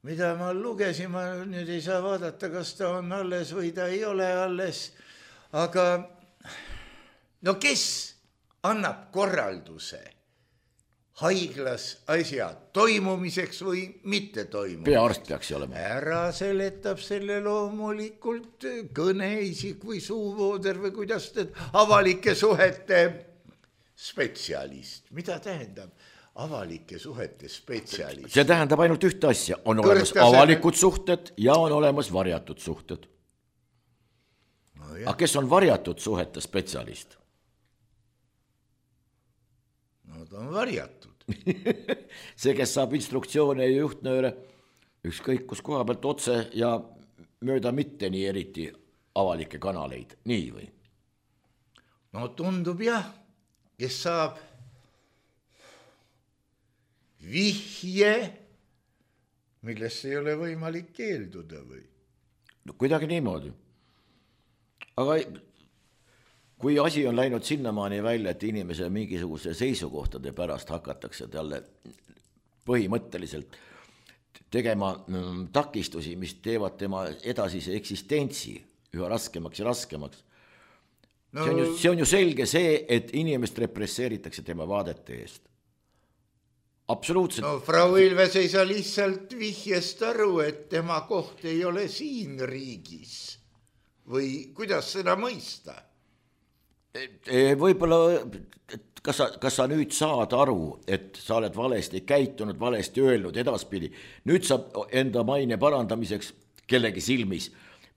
mida ma lugesin, ma nüüd ei saa vaadata, kas ta on alles või ta ei ole alles. Aga no kes annab korralduse haiglas asja toimumiseks või mitte toimumiseks? Peaarst peaks olema. Ära seletab selle loomulikult kõneisik või suuvooder või kuidas teed avalike suhete spetsialist. Mida tähendab avalike suhete spetsialist? See tähendab ainult ühte asja. On olemas Kõrgtaseme... avalikud suhted ja on olemas varjatud suhted. No, aga kes on varjatud suhete spetsialist? No ta on varjatud. See, kes saab instruktsioone ja juhtnööre ükskõik kus koha pealt otse ja mööda mitte nii eriti avalikke kanaleid, nii või? No tundub jah, kes saab vihje, millest ei ole võimalik keelduda või? No kuidagi niimoodi. Aga kui asi on läinud sinnamaani välja, et inimese mingisuguse seisukohtade pärast hakatakse talle põhimõtteliselt tegema takistusi, mis teevad tema edasise eksistentsi üha raskemaks ja raskemaks. No, see, on ju, see on ju selge see, et inimest represseeritakse tema vaadete eest. Absoluutselt. No Frau Ilves ei saa lihtsalt vihjest aru, et tema koht ei ole siin riigis. Või kuidas seda mõista? Võib-olla, kas sa, kas sa nüüd saad aru, et sa oled valesti käitunud, valesti öelnud edaspidi. Nüüd sa enda maine parandamiseks kellegi silmis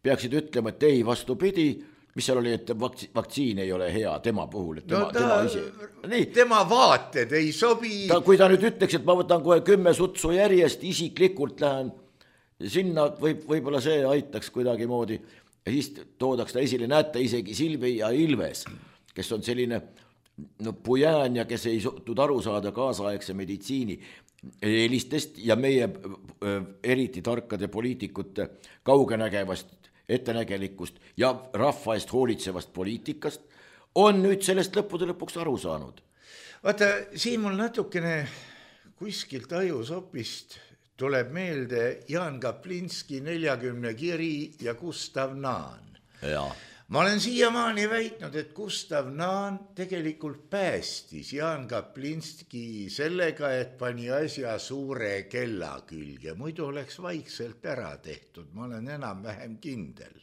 peaksid ütlema, et ei vastupidi, mis seal oli, et vaktsiin ei ole hea tema puhul. Et tema, no ta, tema, isi... tema vaated ei sobi. Ta, kui ta nüüd ütleks, et ma võtan kohe kümme sutsu järjest, isiklikult lähen sinna, võib, võib-olla see aitaks kuidagi moodi. Ja siis toodaks ta esile, näete isegi Silvi ja Ilves, kes on selline no, pujään ja kes ei suutnud aru saada kaasaegse meditsiini eelistest ja meie eriti tarkade poliitikute kaugenägevast ettenägelikust ja rahva eest hoolitsevast poliitikast, on nüüd sellest lõppude lõpuks aru saanud. Vaata, siin mul natukene kuskilt ajusopist tuleb meelde Jaan Kaplinski neljakümne kiri ja Gustav Naan. Ja. Ma olen siiamaani väitnud, et Gustav Naan tegelikult päästis Jaan Kaplinski sellega, et pani asja suure kella külge. Muidu oleks vaikselt ära tehtud, ma olen enam vähem kindel.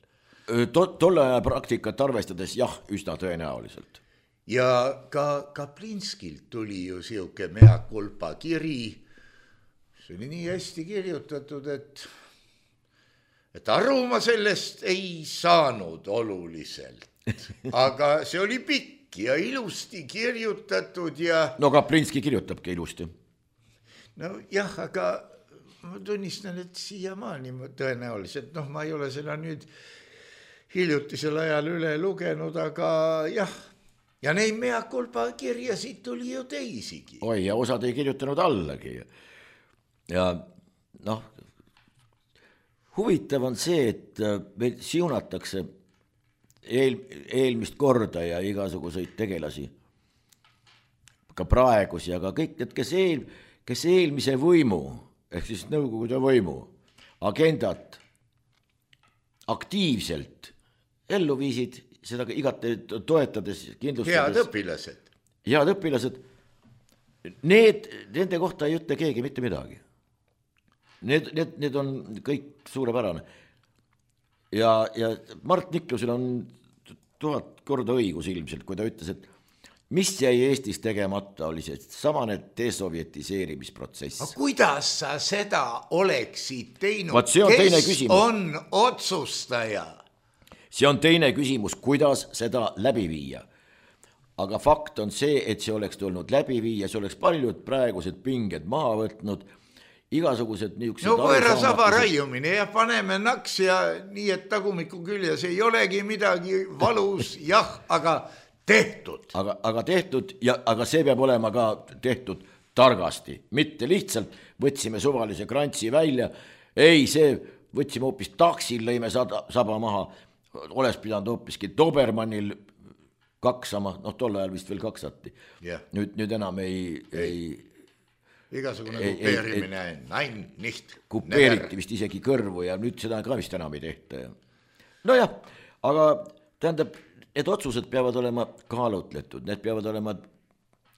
Tolle aja praktikat arvestades jah, üsna tõenäoliselt. Ja ka Kaplinskilt tuli ju siuke mea culpa kiri. See oli nii hästi kirjutatud, et, et aru ma sellest ei saanud oluliselt. Aga see oli pikk ja ilusti kirjutatud ja... No Kaplinski kirjutabki ilusti. No jah, aga ma tunnistan, et siiamaani tõenäoliselt, noh, ma ei ole seda nüüd hiljutisel ajal üle lugenud, aga jah, ja neid mea culpa kirjasid tuli ju teisigi. Oi, ja osad ei kirjutanud allagi. Ja noh, huvitav on see, et meil siunatakse eel, eelmist korda ja igasuguseid tegelasi, ka praegusi, aga kõik need, kes, eel, kes eelmise võimu, ehk siis nõukogude võimu, agendat aktiivselt ellu viisid, seda igati toetades, kindlustades. Head õpilased. Head õpilased. Need, nende kohta ei ütle keegi mitte midagi. Need, need, need on kõik suurepärane. Ja, ja Mart Niklusel on tuhat korda õigus ilmselt, kui ta ütles, et mis jäi Eestis tegemata, oli see samane desovjetiseerimisprotsess. No, kuidas sa seda oleksid teinud? Vaat see on kes teine küsimus. On otsustaja? See on teine küsimus, kuidas seda läbi viia. Aga fakt on see, et see oleks tulnud läbi viia, see oleks paljud praegused pinged maha võtnud, igasugused niisugused... No koera saba raiumine ja paneme naks ja nii, et tagumiku küljes ei olegi midagi valus, jah, aga tehtud. Aga, aga tehtud, ja, aga see peab olema ka tehtud targasti. Mitte lihtsalt võtsime suvalise krantsi välja, ei, see võtsime hoopis taksil, lõime saba maha, oleks pidanud hoopiski Dobermannil kaksama, noh tol ajal vist veel kaksati. Yeah. Nüüd, nüüd enam ei... ei igasugune kupeerimine, nein, nicht. Kupeeriti vist isegi kõrvu ja nüüd seda ka vist enam ei tehta. No jah, aga tähendab, need otsused peavad olema kaalutletud, need peavad olema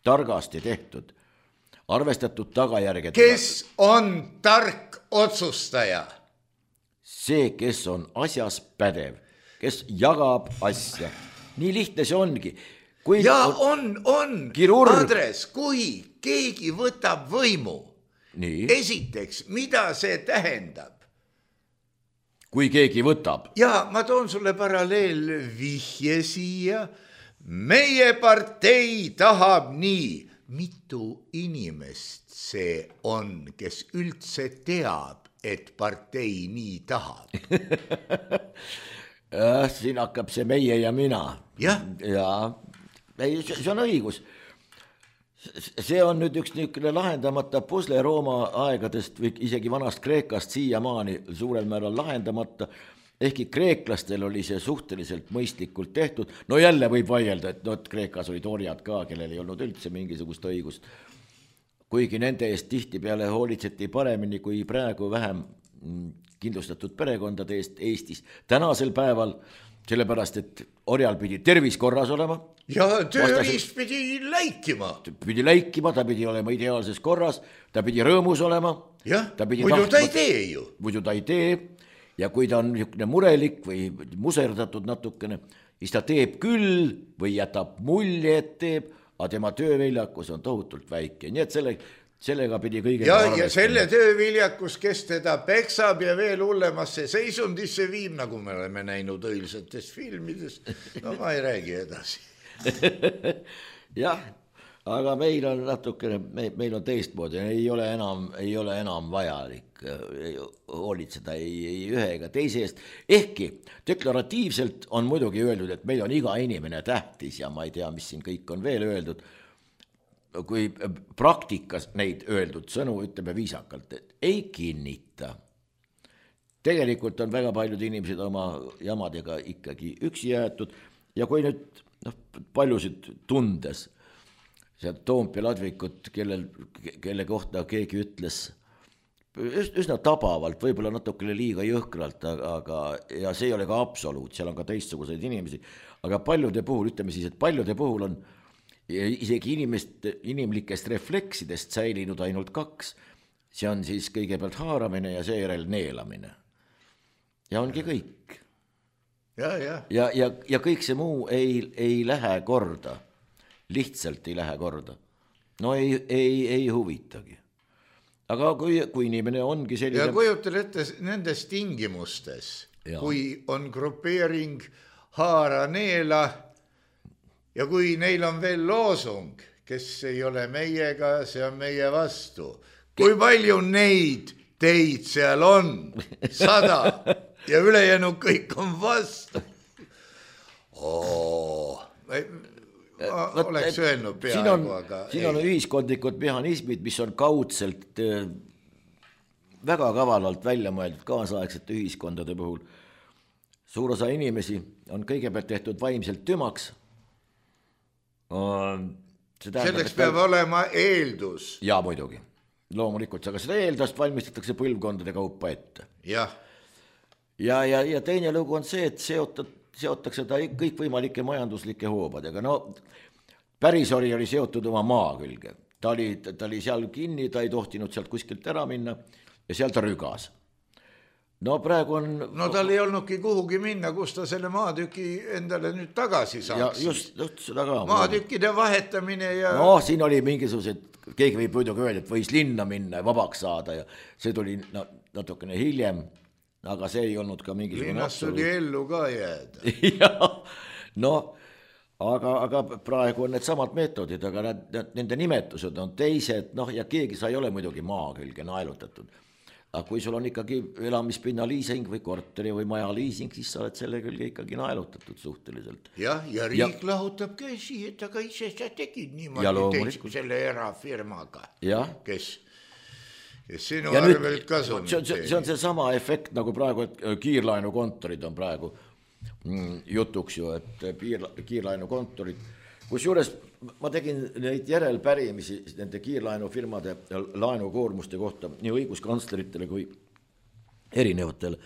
targasti tehtud, arvestatud tagajärged. Kes on tark otsustaja? See, kes on asjas pädev, kes jagab asja. Nii lihtne see ongi. Kui ja on, on, kirurg... Andres, kui keegi võtab võimu, nii. Esiteks, mida see tähendab? kui keegi võtab. Ja ma toon sulle paralleel vihje siia. Meie partei tahab nii. Mitu inimest see on, kes üldse teab, et partei nii tahab? Siin hakkab see meie ja mina. Ja, ja see on õigus. See on nüüd üks niisugune lahendamata pusle Rooma aegadest või isegi vanast Kreekast siiamaani suurel määral lahendamata. Ehkki kreeklastel oli see suhteliselt mõistlikult tehtud. No jälle võib vaielda, et no, et Kreekas olid orjad ka, kellel ei olnud üldse mingisugust õigust. Kuigi nende eest tihti peale hoolitseti paremini kui praegu vähem kindlustatud perekondade eest Eestis. Tänasel päeval, sellepärast, et orjal pidi tervis korras olema. Ja tööriis pidi läikima. Pidi läikima, ta pidi olema ideaalses korras, ta pidi rõõmus olema. Jah, muidu ta ei tee ju. Muidu ta ei tee. Ja kui ta on niisugune murelik või muserdatud natukene, siis ta teeb küll või jätab mulje, et teeb, aga tema tööviljakus on tohutult väike. Nii et selle, sellega pidi kõige... Ja, ja selle tööviljakus, kes teda peksab ja veel hullemasse seisundisse viib, nagu me oleme näinud õilsates filmides. No ma ei räägi edasi. Jah, aga meil on natukene, meil on teistmoodi, ei ole enam, ei ole enam vajalik hoolitseda ei, ei ühe ega teise eest. Ehkki deklaratiivselt on muidugi öeldud, et meil on iga inimene tähtis ja ma ei tea, mis siin kõik on veel öeldud. Kui praktikas neid öeldud sõnu, ütleme viisakalt, et ei kinnita. Tegelikult on väga paljud inimesed oma jamadega ikkagi üksi jäetud ja kui nüüd no, paljusid tundes sealt Toompea ladvikut, kellel, kelle kohta keegi ütles üsna tabavalt, võib-olla natukene liiga jõhkralt, aga ja see ei ole ka absoluut, seal on ka teistsuguseid inimesi, aga paljude puhul, ütleme siis, et paljude puhul on isegi inimest, inimlikest refleksidest säilinud ainult kaks. See on siis kõigepealt haaramine ja seejärel neelamine. Ja ongi kõik. Ja, ja. Ja, ja, ja kõik see muu ei, ei lähe korda. Lihtsalt ei lähe korda. No ei, ei, ei huvitagi. Aga kui, kui inimene ongi selline... Ja kujutel ette nendes tingimustes, ja. Kui on grupeering haara neela ja kui neil on veel loosung, kes ei ole meiega, see on meie vastu. Kui palju neid teid seal on? Sada ja ülejäänud kõik on vastu. Oo... Ma oleks öelnud peaaegu, aga siin on ühiskondlikud mehhanismid, mis on kaudselt väga kavalalt välja mõeldud kaasaegsete ühiskondade puhul. Suur osa inimesi on kõigepealt tehtud vaimselt tümaks. Selleks peab olema eeldus. Ja muidugi, loomulikult, aga seda eeldust valmistatakse põlvkondade kaupa ette. Jah. Ja, ja, ja teine lugu on see, et seotud seotakse ta kõikvõimalike majanduslike hoobadega. No pärisori oli seotud oma maa külge. Ta oli, ta oli seal kinni, ta ei tohtinud sealt kuskilt ära minna ja seal ta rügas. No praegu on... No tal ei olnudki kuhugi minna, kus ta selle maatüki endale nüüd tagasi saaks. Ja just, just seda ka. Maatükkide vahetamine ja... No siin oli mingisugused, keegi võib muidugi öelda, et võis linna minna ja vabaks saada ja see tuli natukene hiljem. Aga see ei olnud ka mingisugune Linnast absoluut. Oli ellu ka jääda. Ja, no, aga, aga praegu on need samad meetodid, aga nad, nende nimetused on teised, noh, ja keegi sa ei ole muidugi maa külge naelutatud. Aga kui sul on ikkagi elamispinna liising või korteri või maja liising, siis sa oled selle külge ikkagi naelutatud suhteliselt. Jah, ja riik ja, lahutab käsi, et aga ise sa tegid niimoodi teisku selle erafirmaga, ja. Kes... Sinu arvelt kasum. See, see, see on see sama efekt nagu praegu, et kiirlaenukontorid on praegu mm, jutuks ju, et kiirlaenukontorid, kus juures ma tegin neid järelpärimisi nende kiirlaenufirmade laenukoormuste kohta nii õiguskantsleritele kui erinevatele,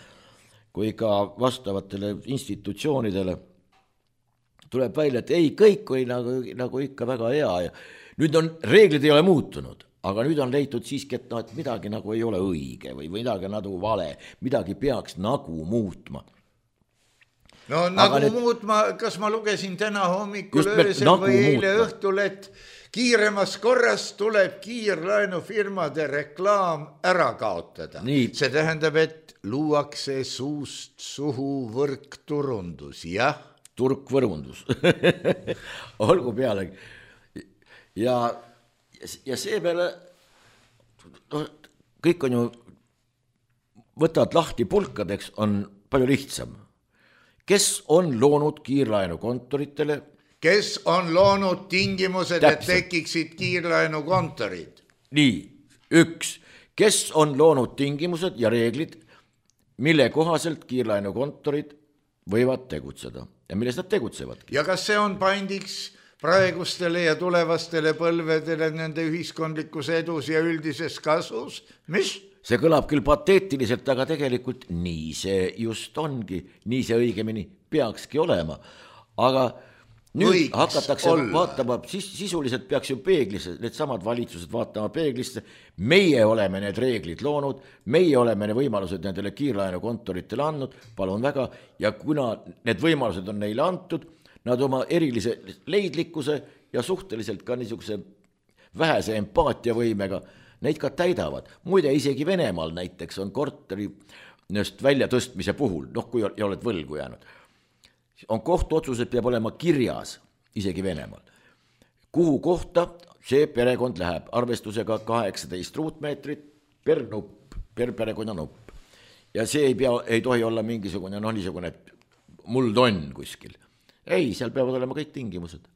kui ka vastavatele institutsioonidele. Tuleb välja, et ei, kõik oli nagu, nagu ikka väga hea ja nüüd on, reeglid ei ole muutunud. Aga nüüd on leitud siiski, et, no, et midagi nagu ei ole õige või midagi nagu vale, midagi peaks nagu muutma. No nagu need... muutma, kas ma lugesin täna hommikul öösel nagu või eile muutma. Õhtul, et kiiremas korras tuleb kiirlaenufirmade reklaam ära kaotada. Nii. See tähendab, et luuakse suust suhu võrkturundus, jah? Turkvõrundus. Olgu pealegi. Ja, ja seepeale no, kõik on ju, võtavad lahti pulkadeks, on palju lihtsam. Kes on loonud kiirlaenukontoritele? Kes on loonud tingimused, Täpselt. et tekiksid kiirlaenukontorid? Nii, üks. Kes on loonud tingimused ja reeglid, mille kohaselt kiirlaenukontorid võivad tegutseda ja milles nad tegutsevadki? Ja kas see on paindiks praegustele ja tulevastele põlvedele nende ühiskondlikus edus ja üldises kasvus? Mis? See kõlab küll pateetiliselt, aga tegelikult nii see just ongi, nii see õigemini peakski olema. Aga nüüd Võiks hakatakse olla. vaatama, sis, sisuliselt peaks ju peeglisse, need samad valitsused vaatama peeglisse, meie oleme need reeglid loonud, meie oleme need võimalused nendele kiirlaenukontoritele andnud, palun väga, ja kuna need võimalused on neile antud, nad oma erilise leidlikkuse ja suhteliselt ka niisuguse vähese empaatiavõimega neid ka täidavad. Muide, isegi Venemaal näiteks on korteri välja tõstmise puhul, noh kui oled võlgu jäänud, on kohtuotsused peab olema kirjas, isegi Venemaal. Kuhu kohta see perekond läheb arvestusega kaheksateist ruutmeetrit per nupp, per perekonna nupp. Ja see ei, pea, ei tohi olla mingisugune, noh niisugune muldonn kuskil. Ei, seal peavad olema kõik tingimused.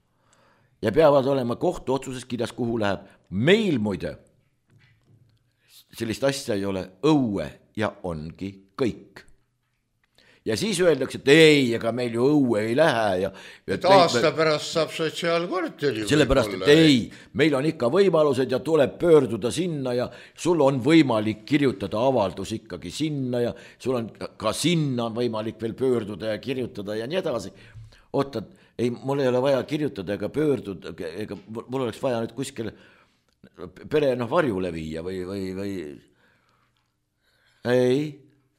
Ja peavad olema kohtuotsuses kirjas, kuhu läheb. Meil muide sellist asja ei ole, õue ja ongi kõik. Ja siis öeldakse, et ei, ega meil ju õue ei lähe. Ja, et aasta pärast saab sotsiaalkorteri. Sellepärast, et ei, meil on ikka võimalused ja tuleb pöörduda sinna ja sul on võimalik kirjutada avaldus ikkagi sinna ja sul on ka sinna on võimalik veel pöörduda ja kirjutada ja nii edasi. Oota, ei, mul ei ole vaja kirjutada ega pöörduda, ega mul oleks vaja nüüd kuskil pere noh varjule viia või, või, või ei,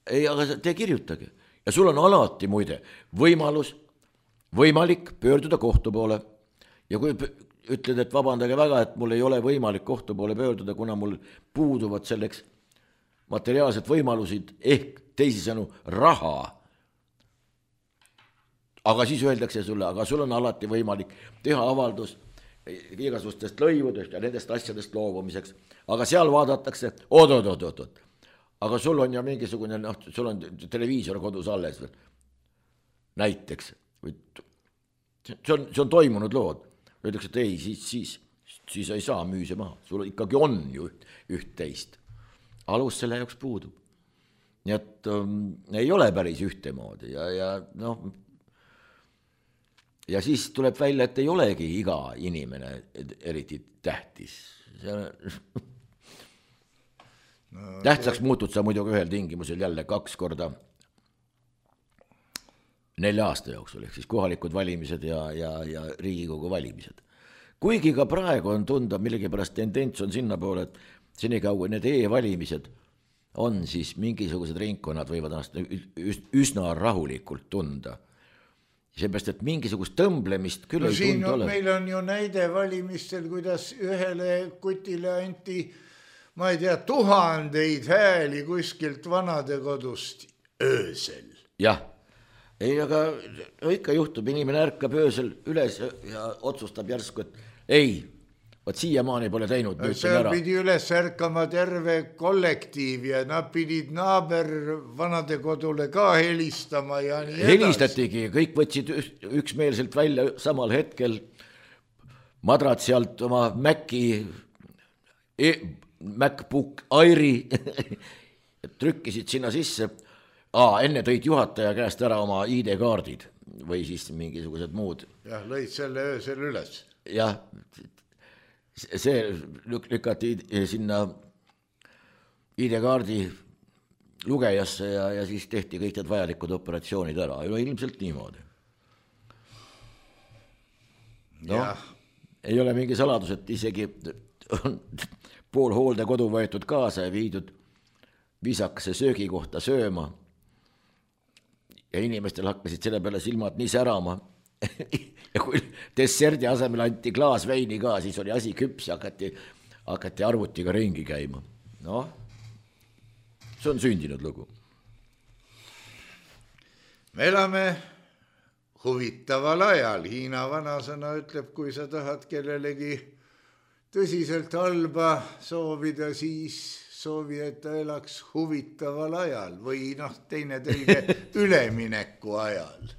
ei, aga te kirjutage. Ja sul on alati muide võimalus, võimalik pöörduda kohtu poole. Ja kui ütled, et vabandage väga, et mul ei ole võimalik kohtu poole pöörduda, kuna mul puuduvad selleks materiaalsed võimalusid ehk teisisõnu raha. Aga siis öeldakse sulle, aga sul on alati võimalik teha avaldus igasugustest lõivudest ja nendest asjadest loobumiseks. Aga seal vaadatakse, oot, oot, oot, oot, oot. Aga sul on ja mingisugune, noh, sul on televiisor kodus alles veel. Näiteks. See on, see on toimunud lood. Öeldakse, et ei, siis, siis, siis ei saa müüse maha. Sul ikkagi on ju üht, üht teist. Alus selle jaoks puudub. Nii et um, ei ole päris ühtemoodi ja, ja noh, ja siis tuleb välja, et ei olegi iga inimene eriti tähtis. See no, tähtsaks muutud sa muidugi ühel tingimusel jälle kaks korda nelja aasta jooksul, ehk siis kohalikud valimised ja, ja, ja Riigikogu valimised. Kuigi ka praegu on tunda, millegipärast tendents on sinna poole, et senikaua need e-valimised on, siis mingisugused ringkonnad võivad üsna rahulikult tunda. Seepärast, et mingisugust tõmblemist küll no, ei tunda ole. Meil on ju näide valimistel, kuidas ühele kutile anti, ma ei tea, tuhandeid hääli kuskilt vanadekodust öösel. Jah, ei, aga ikka juhtub, inimene ärkab öösel üles ja otsustab järsku, et ei, võt siiamaani pole teinud. Seal pidi üles ärkama terve kollektiiv ja nad pidid naaber vanadekodule ka helistama ja nii edasi. Helistatigi, kõik võtsid üksmeelselt välja samal hetkel madrad sealt oma Maci, e, MacBook Airi trükkisid sinna sisse. Aa, enne tõid juhataja käest ära oma I D-kaardid või siis mingisugused muud. Jah, lõid selle öösel üles. Jah, see lükati sinna I D-kaardi lugejasse ja, ja siis tehti kõik need vajalikud operatsioonid ära. Ja ilmselt niimoodi. No, ei ole mingi saladus, et isegi on pool hooldekodu võetud kaasa ja viidud viisakase söögi kohta sööma. Ja inimestel hakkasid selle peale silmad nii särama. Ja kui desserdi asemel anti klaas veini ka, siis oli asi küps ja hakati, hakati arvutiga ringi käima. Noh, see on sündinud lugu. me elame huvitaval ajal. Hiina vanasõna ütleb, kui sa tahad kellelegi tõsiselt halba soovida, siis soovi, et ta elaks huvitaval ajal või noh, teine tõlge ülemineku ajal.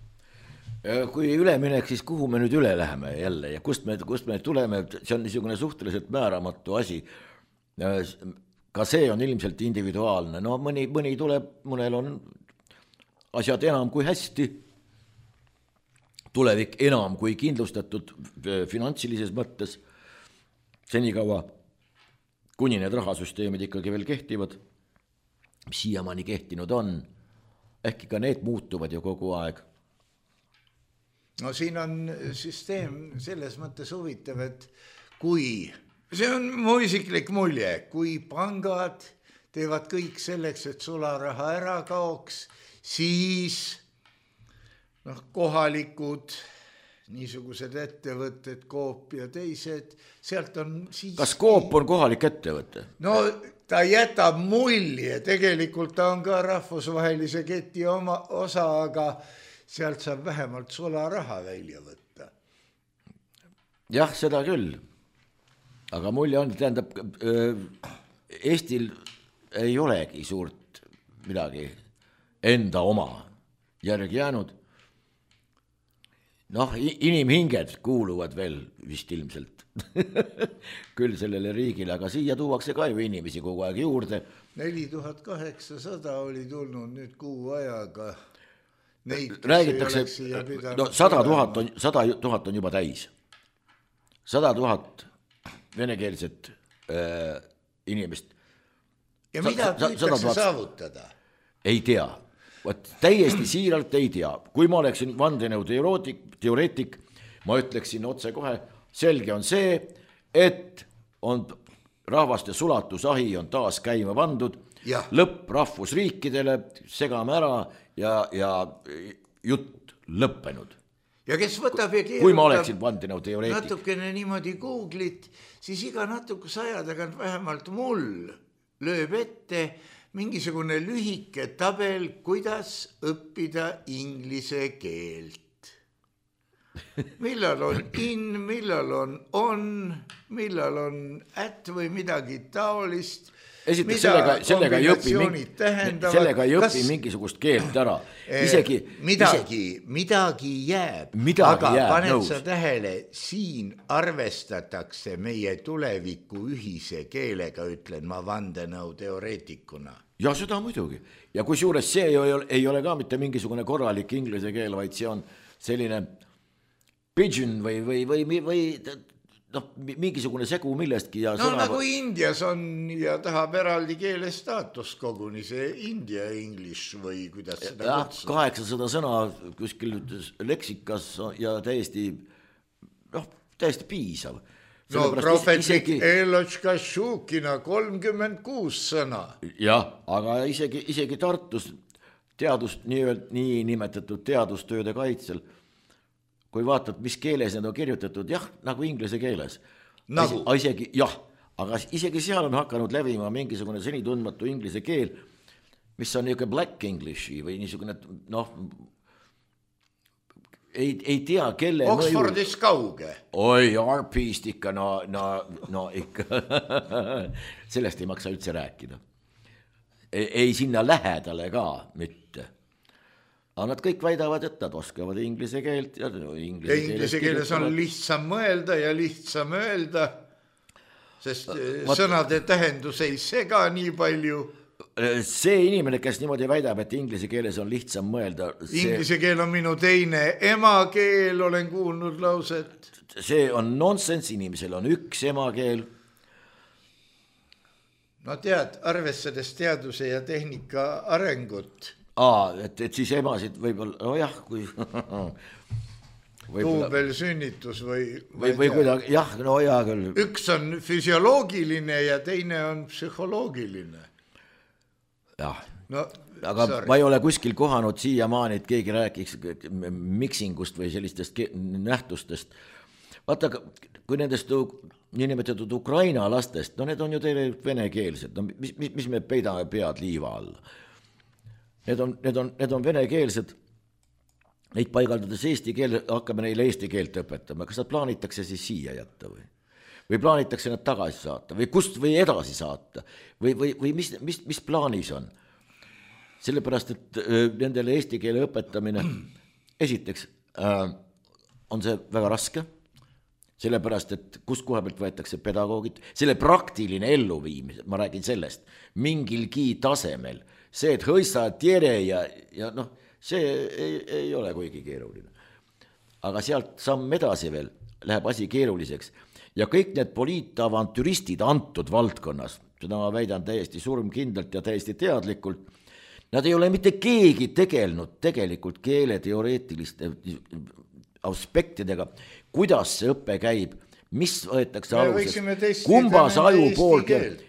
Kui üleminek, siis kuhu me nüüd üle läheme jälle ja kust me, kust me tuleme, see on niisugune suhteliselt määramatu asi. Ka see on ilmselt individuaalne. No mõni, mõni tuleb, mõnel on asjad enam kui hästi, tulevik enam kui kindlustatud finantsilises mõttes, senikaua, kuni need rahasüsteemid ikkagi veel kehtivad, mis siiamaani kehtinud on, ehkki ka need muutuvad ju kogu aeg. No siin on süsteem selles mõttes huvitav, et kui, see on mu isiklik mulje, kui pangad teevad kõik selleks, et sularaha ära kaoks, siis noh, kohalikud niisugused ettevõtted, Coop ja teised, sealt on siis... Kas Coop on kohalik ettevõte? No ta jätab mulje, tegelikult ta on ka rahvusvahelise keti oma osa, aga sealt saab vähemalt sularaha välja võtta. Jah, seda küll. Aga mulje on, tähendab, Eestil ei olegi suurt midagi enda oma järgi jäänud. Noh, inimhinged kuuluvad veel vist ilmselt küll sellele riigile, aga siia tuuakse ka ju inimesi kogu aeg juurde. neli tuhat kaheksasada oli tulnud nüüd kuu ajaga. Neid, räägitakse, no sada tuhat on, sada tuhat on juba täis. Sada tuhat venekeelset äh, inimest. Ja mida püütakse saavutada? Ei tea. Võt, täiesti siiralt ei tea. Kui ma oleksin vandenõu teoreetik, ma ütleksin otse kohe, selge on see, et on rahvaste sulatusahi on taas käima pandud, ja. Lõpp rahvusriikidele, segame ära ja, ja jutt lõppenud. Ja kes võtab ja keerutab, kui ma oleksin vandenõu teoreetik. Natukene niimoodi Googlit, siis iga natukus aja tagant vähemalt mul lööb ette mingisugune lühike tabel, kuidas õppida inglise keelt. Millal on in, millal on on, millal on at või midagi taolist. Esiteks sellega, sellega ei õpi, sellega ei õpi kas... mingisugust keelt ära. Isegi, midagi, ise... midagi jääb, midagi aga jääb, paned nõus. Sa tähele, siin arvestatakse meie tuleviku ühise keelega, ütlen ma vandenõu teoreetikuna. Ja seda muidugi. Ja kui suures see ei ole, ei ole ka mitte mingisugune korralik inglise keel, vaid see on selline pigeon või, või, või, või noh, mingisugune segu millestki. Ja no sõna... nagu Indias on ja tahab eraldi keele staatus koguni, see India English või kuidas seda ja, kutsuda. kaheksasada sõna kuskil leksikas ja täiesti, noh, täiesti piisav. No profetlik isegi... Eločka Šukina kolmkümmend kuus sõna. Jah, aga isegi, isegi Tartus teadust, nii, nii nimetatud teadustööde kaitsel, kui vaatad, mis keeles need on kirjutatud, jah, nagu inglise keeles. Nagu? Isegi, jah, aga isegi seal on hakanud levima mingisugune seni tundmatu inglise keel, mis on niisugune black Englishi või niisugune, noh, ei, ei tea, kelle Oxfordis mõju... kauge. Oi, R P-st ikka, no, no, no ikka, sellest ei maksa üldse rääkida. Ei, ei sinna lähedale ka mitte. Aga nad kõik väidavad, et nad oskavad inglise keelt. Ja, no, inglise, ja inglise keeles on lihtsam mõelda ja lihtsam öelda, sest Vat... sõnade tähendus ei sega nii palju. See inimene, kes niimoodi väidab, et inglise keeles on lihtsam mõelda. See... Inglise keel on minu teine emakeel, olen kuulnud lauset. See on nonsense, inimesel on üks emakeel. No tead, arvestades teaduse ja tehnika arengut. Aa, et, et siis emasid võib-olla, no jah, kui... Tuubel sünnitus või... Või, või kuidagi, jah, no jah küll. Üks on füsioloogiline ja teine on psühholoogiline. Jah, no, aga sorry. Ma ei ole kuskil kohanud siiamaani, et keegi rääkiks miksingust või sellistest nähtustest. Vaata, kui nendest niinimetatud Ukraina lastest, no need on ju teile venekeelsed, no mis, mis me peidame pead liiva alla? Need on, need on, need on venekeelsed neid paigaldades eesti keel, hakkame neile eesti keelt õpetama, kas nad plaanitakse siis siia jätta või? Või plaanitakse nad tagasi saata või kust või edasi saata või, või, või mis, mis, mis plaanis on? Sellepärast, et nendele eesti keele õpetamine esiteks äh, on see väga raske, sellepärast, et kust koha pealt võetakse pedagoogid, selle praktiline elluviimise, ma räägin sellest, mingilgi tasemel, see, et hõissa tiere ja, ja noh, see ei, ei ole kuigi keeruline. Aga sealt samm edasi veel läheb asi keeruliseks. Ja kõik need poliitavantüristid antud valdkonnas, seda ma väidan täiesti surmkindlalt ja täiesti teadlikult, nad ei ole mitte keegi tegelnud tegelikult keeleteoreetiliste aspektidega, kuidas see õpe käib, mis võetakse aluseks, kumbas aju pool,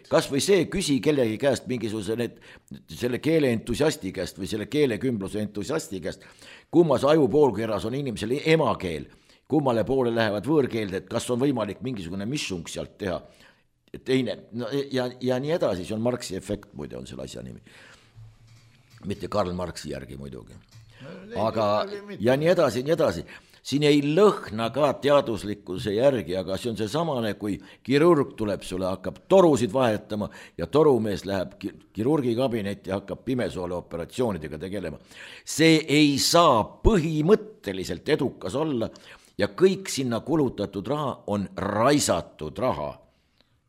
kas või see küsi kellegi käest mingisuguse need, selle keele entusiasti käest või selle keelekümbluse entusiasti käest, kumbas aju poolkeras on inimesele emakeel, kummale poole lähevad võõrkeelde, et kas on võimalik mingisugune missung sealt teha, teine, no, ja, ja nii edasi, see on Marxi efekt, muide on selle asja nimi. Mitte Karl Marxi järgi muidugi. Aga, ja nii edasi, nii edasi. Siin ei lõhna ka teaduslikkuse järgi, aga see on see samane, kui kirurg tuleb sulle, hakkab torusid vahetama ja torumees läheb kirurgi kabinetti ja hakkab pimesoole operatsioonidega tegelema. See ei saa põhimõtteliselt edukas olla ja kõik sinna kulutatud raha on raisatud raha.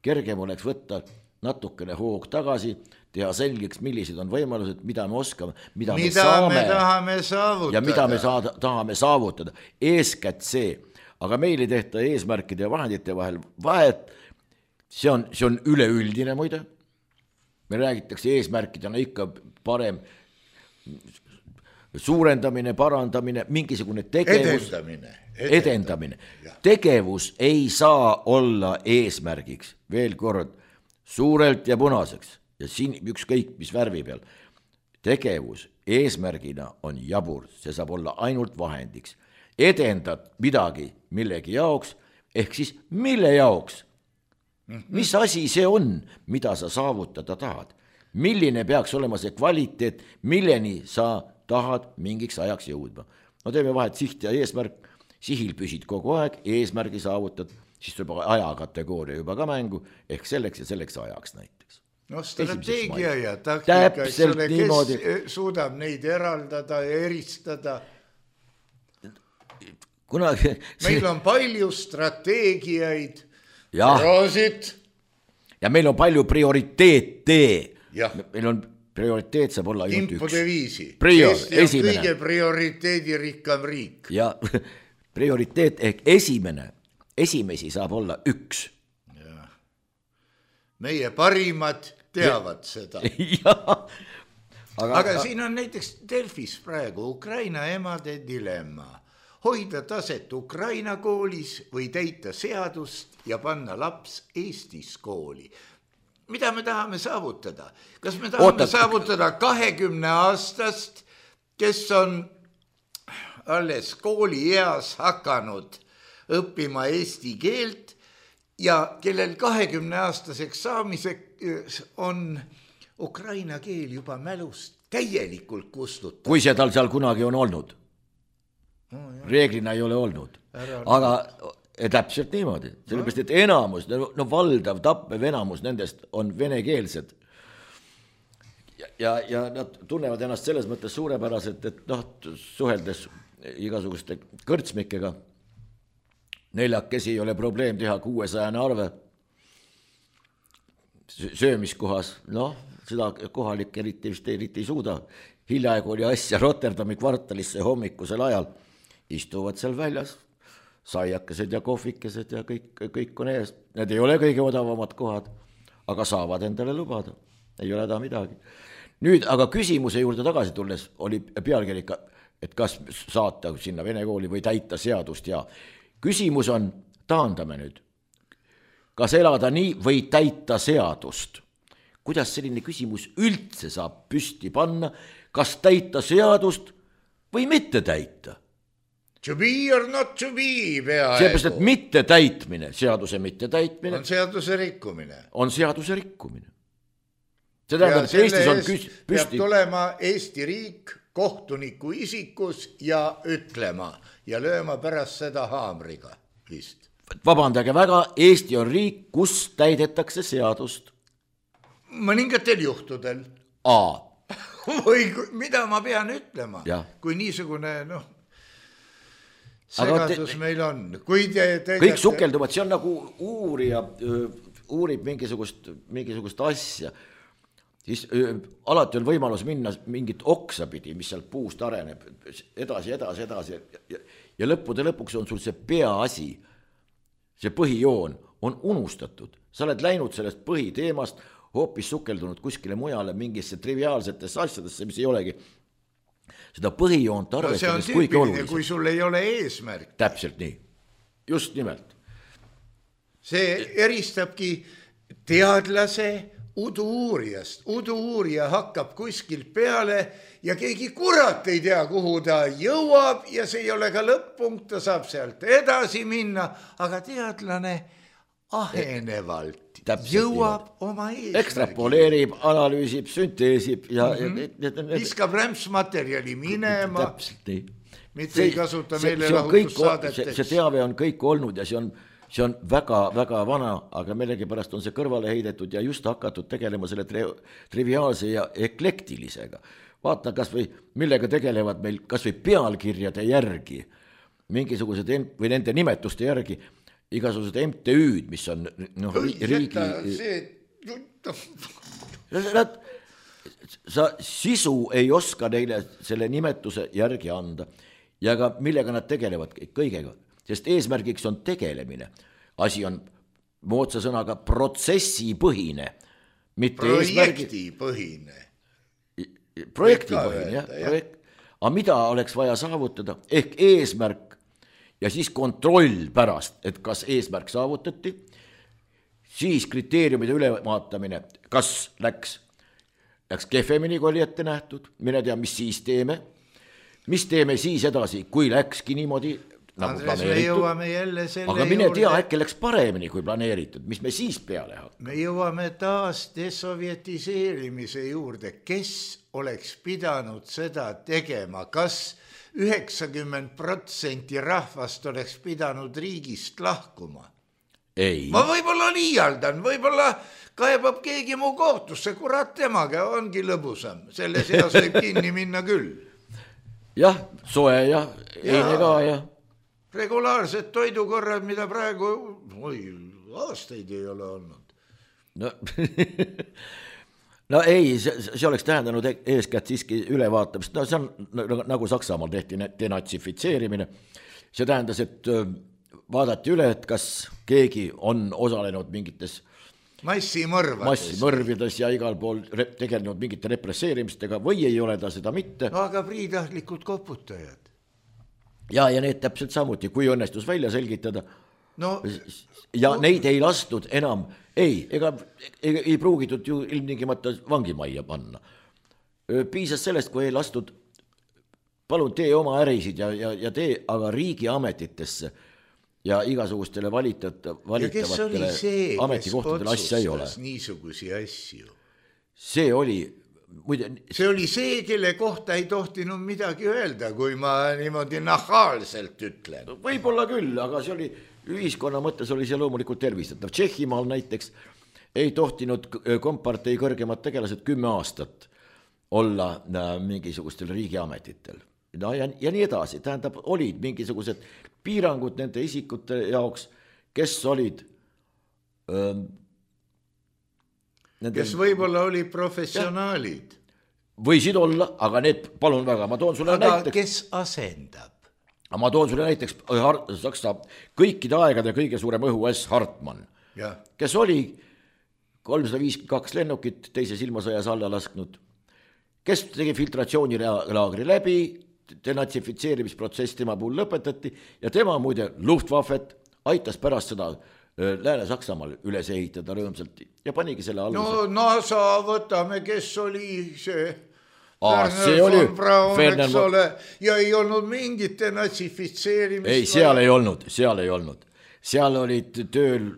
Kergem oleks võtta natukene hoog tagasi, teha selgeks, millised on võimalused, mida me oskame, mida, mida me saame me tahame saavutada. Ja mida me saada, tahame saavutada. Eeskätt see, aga meil ei tehta eesmärkide ja vahendite vahel vahet, see on, see on üleüldine muide. Me räägitakse eesmärkidena ikka parem suurendamine, parandamine, mingisugune tegevus, edendamine, edendamine. edendamine. Tegevus ei saa olla eesmärgiks, veel kord, suurelt ja punaseks ja siin ükskõik mis värvi peal. Tegevus eesmärgina on jabur, see saab olla ainult vahendiks. Edendad midagi millegi jaoks, ehk siis mille jaoks? Mis asi see on, mida sa saavutada tahad? Milline peaks olema see kvaliteet, milleni sa tahad mingiks ajaks jõudma. No teeme vahet siht ja eesmärk, sihil püsid kogu aeg, eesmärgi saavutad, siis tuleb ajakategooria juba ka mängu, ehk selleks ja selleks ajaks näiteks. No strateegia ja taktika, selle, kes niimoodi suudab neid eraldada ja eristada. Kunagi... Meil on palju strateegiaid, roosid. Ja meil on palju prioriteete. Meil on prioriteet saab olla ainult üks. Prior, Eesti on esimene. Kõige prioriteedirikkam riik. Ja prioriteet ehk esimene, esimesi saab olla üks. Ja. Meie parimad teavad ja. Seda. Ja. Aga, aga siin on näiteks Delfis praegu Ukraina emade dilemma. Hoida taset Ukraina koolis või täita seadust ja panna laps Eestis kooli. Mida me tahame saavutada? Kas me tahame Oota. saavutada kahekümne aastast, kes on alles kooli eas hakanud õppima eesti keelt ja kellel kahekümne aastaseks saamiseks on ukraina keel juba mälust täielikult kustutatud? Kui see tal seal kunagi on olnud? No, reeglina ei ole olnud. Ära aga... Täpselt niimoodi, sellepärast, et enamus, no valdav tappev enamus nendest on venekeelsed. Ja, ja, ja nad tunnevad ennast selles mõttes suurepäraselt, et noh, suheldes igasuguste kõrtsmikega, neljakesi ei ole probleem teha kuuesajane arve söömiskohas, noh, seda kohalik eriti vist eriti ei suuda. Hiljaaegu oli asja Rotterdami kvartalisse hommikusel ajal, istuvad seal väljas, saiakesed ja kohvikesed ja kõik, kõik on ees. Need ei ole kõige odavamad kohad, aga saavad endale lubada. Ei ole häda midagi. Nüüd, aga küsimuse juurde tagasi tulles oli pealkiri, et kas saata sinna vene kooli või täita seadust ja küsimus on, taandame nüüd, kas elada nii või täita seadust? Kuidas selline küsimus üldse saab püsti panna, kas täita seadust või mitte täita? To be or not to be peaaegu. Seepärast, et mitte täitmine, seaduse mitte täitmine. On seaduse rikkumine. On seaduse rikkumine. See tähendab, et Eestis on püsti. Peab tulema Eesti riik kohtuniku isikus ja ütlema ja lööma pärast seda haamriga vist. Vabandage väga, Eesti on riik, kus täidetakse seadust. Mõningatel juhtudel. A. Või mida ma pean ütlema, ja. Kui niisugune noh, segadus te, meil on. Kui te, te kõik sukelduvad, see on nagu uurija, uurib mingisugust, mingisugust asja, siis öö, alati on võimalus minna mingit oksa pidi, mis sealt puust areneb, edasi, edasi, edasi ja, ja lõppude lõpuks on sul see peaasi, see põhijoon on unustatud. Sa oled läinud sellest põhiteemast, hoopis sukeldunud kuskile mujale mingisse triviaalsetesse asjadesse, mis ei olegi seda põhijoont arvestades no, kuigi olulised. Kui sul ei ole eesmärk. Täpselt nii, just nimelt. See eristabki teadlase udu-uurijast. Udu-uurija hakkab kuskil peale ja keegi kurat ei tea, kuhu ta jõuab ja see ei ole ka lõpp-punkt, ta saab sealt edasi minna, aga teadlane ahenevalt Täpselt jõuab nii. Oma eesmärgi. Ekstrapoleerib, analüüsib, sünteesib ja mm-hmm. viskab rämpsmaterjali minema. Täpselt nii. Mitte see, ei kasuta see, meile lahutussaadeteks. See, see teave on kõik olnud ja see on, see on väga, väga vana, aga millegipärast on see kõrvale heidetud ja just hakatud tegelema selle tri- triviaalse ja eklektilisega. Vaata kas või millega tegelevad meil kas või pealkirjade järgi, mingisugused või nende nimetuste järgi, igasugused M T Ü-d, mis on noh, riigi... Nad, sa sisu ei oska neile selle nimetuse järgi anda ja ka millega nad tegelevad kõigega, sest eesmärgiks on tegelemine. Asi on moodsa sõnaga protsessipõhine, mitte projektipõhine. Eesmärgi... projektipõhine, jah. Projekt... aga mida oleks vaja saavutada? Ehk eesmärk ja siis kontroll pärast, et kas eesmärk saavutati, siis kriteeriumide ülevaatamine, kas läks, läks kehvemini, kui oli ette nähtud, mine tea, mis siis teeme, mis teeme siis edasi, kui läkski niimoodi, nagu Andres, planeeritud, aga mine juurde... tea, äkki läks paremini kui planeeritud, mis me siis peale hakkame. Me jõuame taas desovjetiseerimise juurde, kes oleks pidanud seda tegema, kas üheksakümmend protsenti rahvast oleks pidanud riigist lahkuma. Ei. Ma võib-olla liialdan, võib-olla kaebab keegi mu kohtusse, kurat temaga ongi lõbusam. Selle seas võib kinni minna küll. Jah, soe ja eine ka ja. Regulaarsed toidukorrad, mida praegu oi, aastaid ei ole olnud. No... No ei, see, see oleks tähendanud eeskätt siiski ülevaatamist. No see on nagu Saksamaal tehti denatsifitseerimine. See tähendas, et vaadati üle, et kas keegi on osalenud mingites massimõrvades, massimõrvides ja igal pool tegelenud mingite represseerimistega või ei ole ta seda mitte. No aga priidahlikud koputajad. Ja, ja need täpselt samuti, kui õnnestus välja selgitada. No, ja no, neid ei lastud enam, ei, ega ei, ei pruugitud ju ilmtingimata vangimajja panna. Piisas sellest, kui ei lastud, palun tee oma ärisid ja, ja, ja tee aga riigiametitesse ja igasugustele valitat, valitavatele ametikohtadele asja ei ole. Niisugusi asju? See oli... Muide, see oli see, kelle kohta ei tohtinud midagi öelda, kui ma niimoodi nahaalselt ütlen. Võib-olla küll, aga see oli ühiskonna mõttes oli see loomulikult tervistatav. Tšehhimaal näiteks ei tohtinud kompartei kõrgemad tegelased kümme aastat olla mingisugustel riigiametitel. No, ja, ja nii edasi, tähendab, olid mingisugused piirangud nende isikute jaoks, kes olid... Öö, Nende... kes võib-olla oli professionaalid. Võisid olla, aga need, palun väga, ma toon sulle aga näiteks. Kes asendab? Ma toon sulle näiteks Saksa kõikide aegade kõige suurem õhu S. Hartmann, ja. Kes oli kolmsada viiskümmend kaks lennukit teise ilmasõjas alla lasknud, kes tegi filtratsioonilaagri läbi, denatsifitseerimisprotsess tema puhul lõpetati ja tema muide Luftwaffet aitas pärast seda Lääne-Saksamaal üles ehitada rõõmsalt ja panigi selle aluse. No NASA võtame, kes oli see Aa, see oli Braun, eks ole, ja ei olnud mingit denatsifitseerimist. Ei, seal ei olnud, seal ei olnud. Seal olid tööl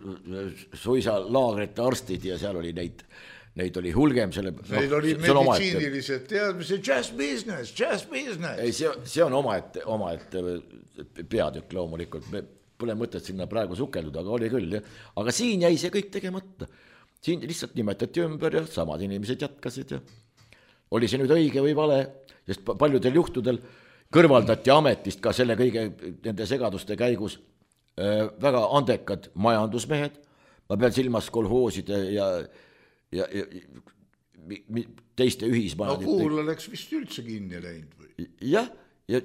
suisa laagrite arstid ja seal oli neid neid oli hulgem selle. Meil no, oli meditsiinilised teadmised, just business, just business. Ei, see, see on oma ette, oma ette peatükk loomulikult, me pole mõtet sinna praegu sukelduda, aga oli küll. Ja. Aga siin jäi see kõik tegemata. Siin lihtsalt nimetati ümber ja samad inimesed jätkasid. Ja. Oli see nüüd õige või vale, sest paljudel juhtudel kõrvaldati ametist ka selle kõige nende segaduste käigus äh, väga andekad majandusmehed. Ma pean silmas kolhooside ja ja, ja teiste ühismajadite. No kuul oleks vist üldse kinni läinud või? Jah, ja,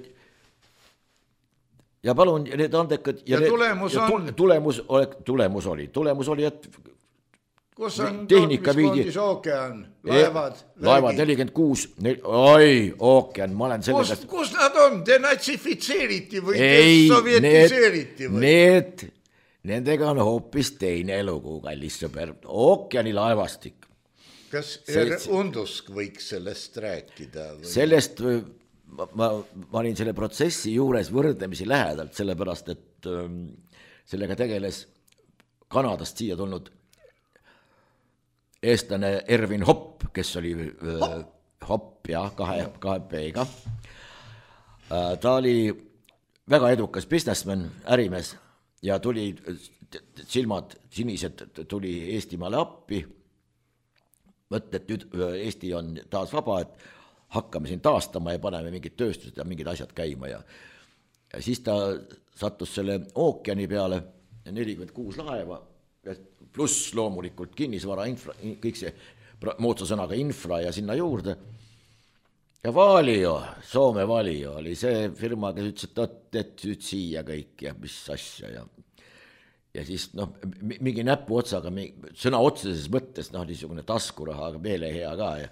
ja palun, need andekad ja, ja need, tulemus ja on? Tulemus, tulemus oli, tulemus oli, et kus on tootmiskondis ookean, laevad? E, laevad nelikümmend kuus, oi, ookean, ma olen selle kus, kus nad on? Denatsifitseeriti või desovjetiseeriti või? Need, nendega on hoopis teine lugu, kallis sõber, ookeani laevastik. Kas see, Undusk võiks sellest rääkida? Või? Sellest ma, ma, ma olin selle protsessi juures võrdlemisi lähedalt, sellepärast, et ähm, sellega tegeles Kanadast siia tulnud eestlane Ervin Hopp, kes oli äh, Hopp, jah, kahe, kahe P-ga. Äh, ta oli väga edukas businessman, ärimees ja tuli, silmad sinised tuli Eestimaale appi. Mõt, et nüüd Eesti on taas vaba, et hakkame siin taastama ja paneme mingid tööstused ja mingid asjad käima. Ja, ja siis ta sattus selle ookeani peale, nelikümmend kuus laeva, pluss loomulikult kinnisvara, infra, kõik see moodsa sõnaga infra ja sinna juurde. Ja Valio, Soome Valio oli see firma, kes ütles, et, et nüüd siia kõik ja mis asja ja ja siis noh, mingi näpu otsaga, sõna otseses mõttes, noh, niisugune taskuraha, aga meele hea ka ja,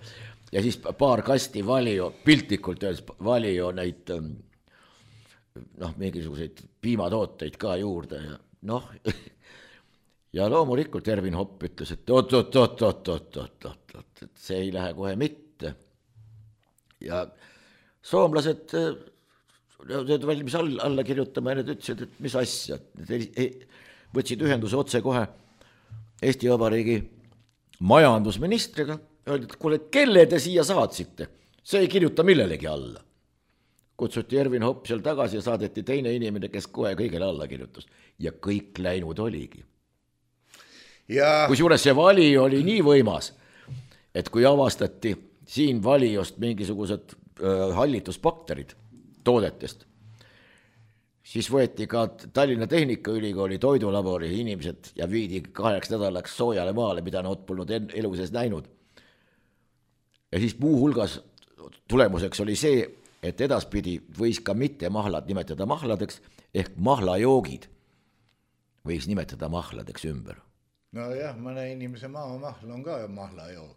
ja siis paar kasti Valio, piltlikult öeldes Valio neid noh, mingisuguseid piimatooteid ka juurde ja noh, ja loomulikult Ervin Hopp ütles, et oot, oot, oot, oot, oot, oot, oot, oot, et see ei lähe kohe mitte. Ja soomlased need valmis alla, alla kirjutama ja need ütlesid, et mis asja, võtsid ühenduse otse kohe Eesti Vabariigi majandusministriga, öeldi, et kuule, kelle te siia saatsite, see ei kirjuta millelegi alla. Kutsuti Ervin Hopp seal tagasi ja saadeti teine inimene, kes kohe kõigele alla kirjutas ja kõik läinud oligi. Ja... Kusjuures see vali oli nii võimas, et kui avastati siin valiost mingisugused äh, hallitusbakterid toodetest, siis võeti ka Tallinna Tehnikaülikooli toidulabori inimesed ja viidi kaheks nädalaks soojale maale, mida nad polnud elu sees näinud. Ja siis muu hulgas tulemuseks oli see, et edaspidi võis ka mitte mahlad nimetada mahladeks, ehk mahlajoogid võis nimetada mahladeks ümber. No jah, mõne inimese maamahl on ka mahlajoog.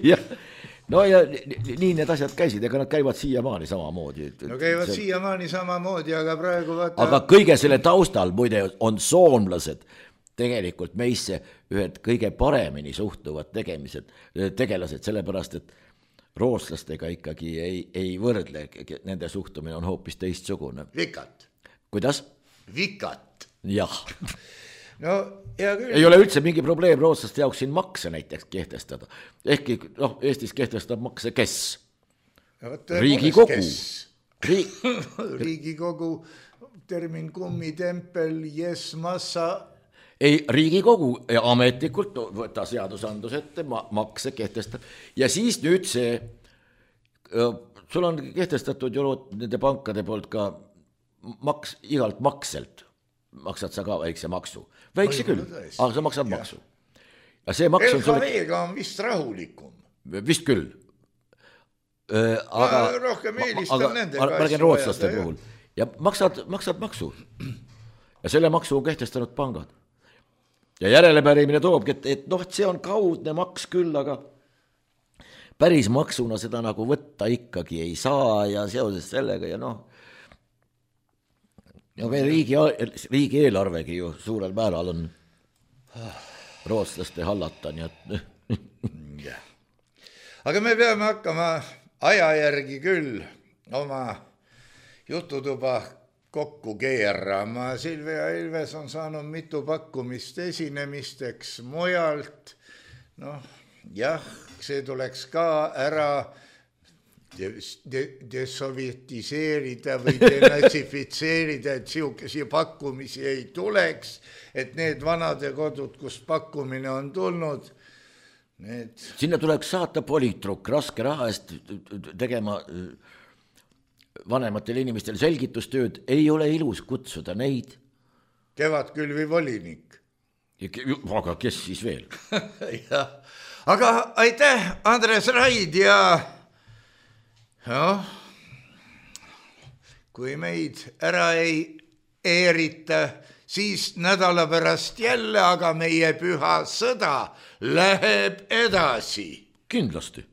Jah. No ja nii need asjad käisid, ega nad käivad siiamaani samamoodi. No käivad see... siiamaani samamoodi, aga praegu vaata... Aga kõige selle taustal muide on soomlased tegelikult meisse ühed kõige paremini suhtuvad tegemised, tegelased, sellepärast, et rootslastega ikkagi ei, ei võrdle, nende suhtumine on hoopis teistsugune. Vikat. Kuidas? Vikat. Jah. No, ja küll. Ei ole üldse mingi probleem rootslaste jaoks siin makse näiteks kehtestada. Ehkki noh, Eestis kehtestab makse kes? Riigikogu. Riik... Riigikogu, termin kummitempel, yes, massa. Ei, Riigikogu ametlikult võtta seadusandlus ette, makse kehtestab. Ja siis nüüd see, sul on kehtestatud ju nende pankade poolt ka maks, igalt makselt. Maksad sa ka väikse maksu. Väikse küll, aga sa maksad ja. Maksu. Ja see maks on... L H V-ga on vist rahulikum. Vist küll. Aga, ma rohkem eelistan aga, nendega. Ma räägin rootslaste puhul. Ja maksad, maksad maksu. Ja selle maksu on kehtestanud pangad. Ja järelepärimine toobki, et, et noh, see on kaudne maks küll, aga päris maksuna seda nagu võtta ikkagi ei saa ja seoses sellega ja noh, ja meil riigi, riigi eelarvegi ju suurel määral on rootslaste hallata, nii et ja. Aga me peame hakkama aja järgi küll oma jututuba kokku keerama. Silvia Ilves on saanud mitu pakkumist esinemisteks mujalt. Noh, jah, see tuleks ka ära desovjetiseerida või denatsifitseerida, et siukesi pakkumisi ei tuleks, et need vanade kodud, kus pakkumine on tulnud, need... Sinna tuleks saata poliitrukk raske raha eest tegema vanematele inimestele selgitustööd, ei ole ilus kutsuda neid. Kevadkülvi volinik. Aga kes siis veel? Ja. Aga aitäh, Andres Raid ja... jah, kui meid ära ei eerita, siis nädala pärast jälle, aga meie püha sõda läheb edasi. Kindlasti.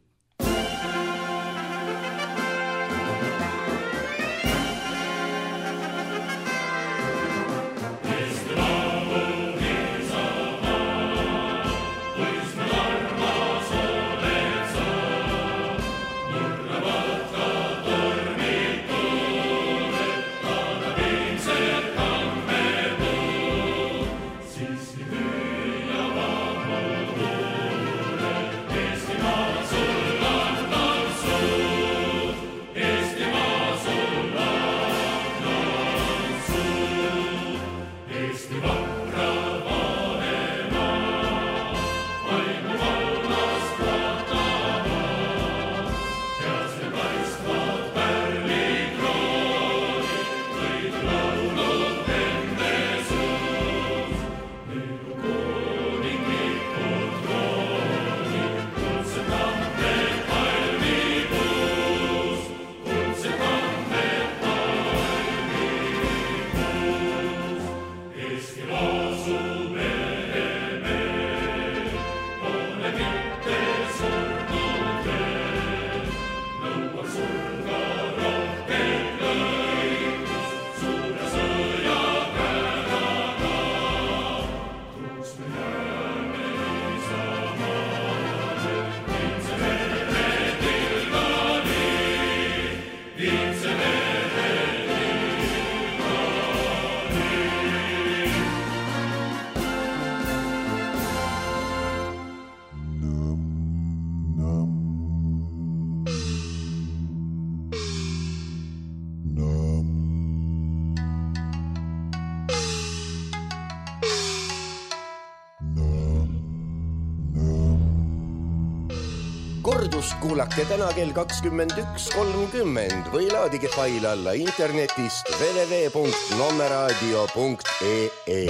Kordust kuulake täna kell kakskümmend üks kolmkümmend või laadige fail alla internetist w w w punkt nommeraadio punkt e e.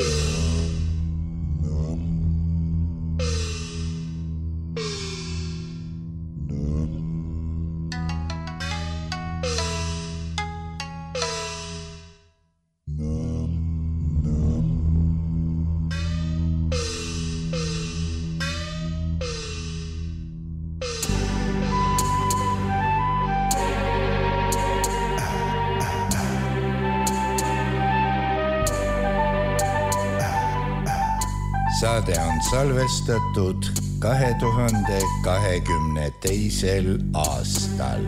Saade on salvestatud kahe tuhande kahekümne teisel aastal.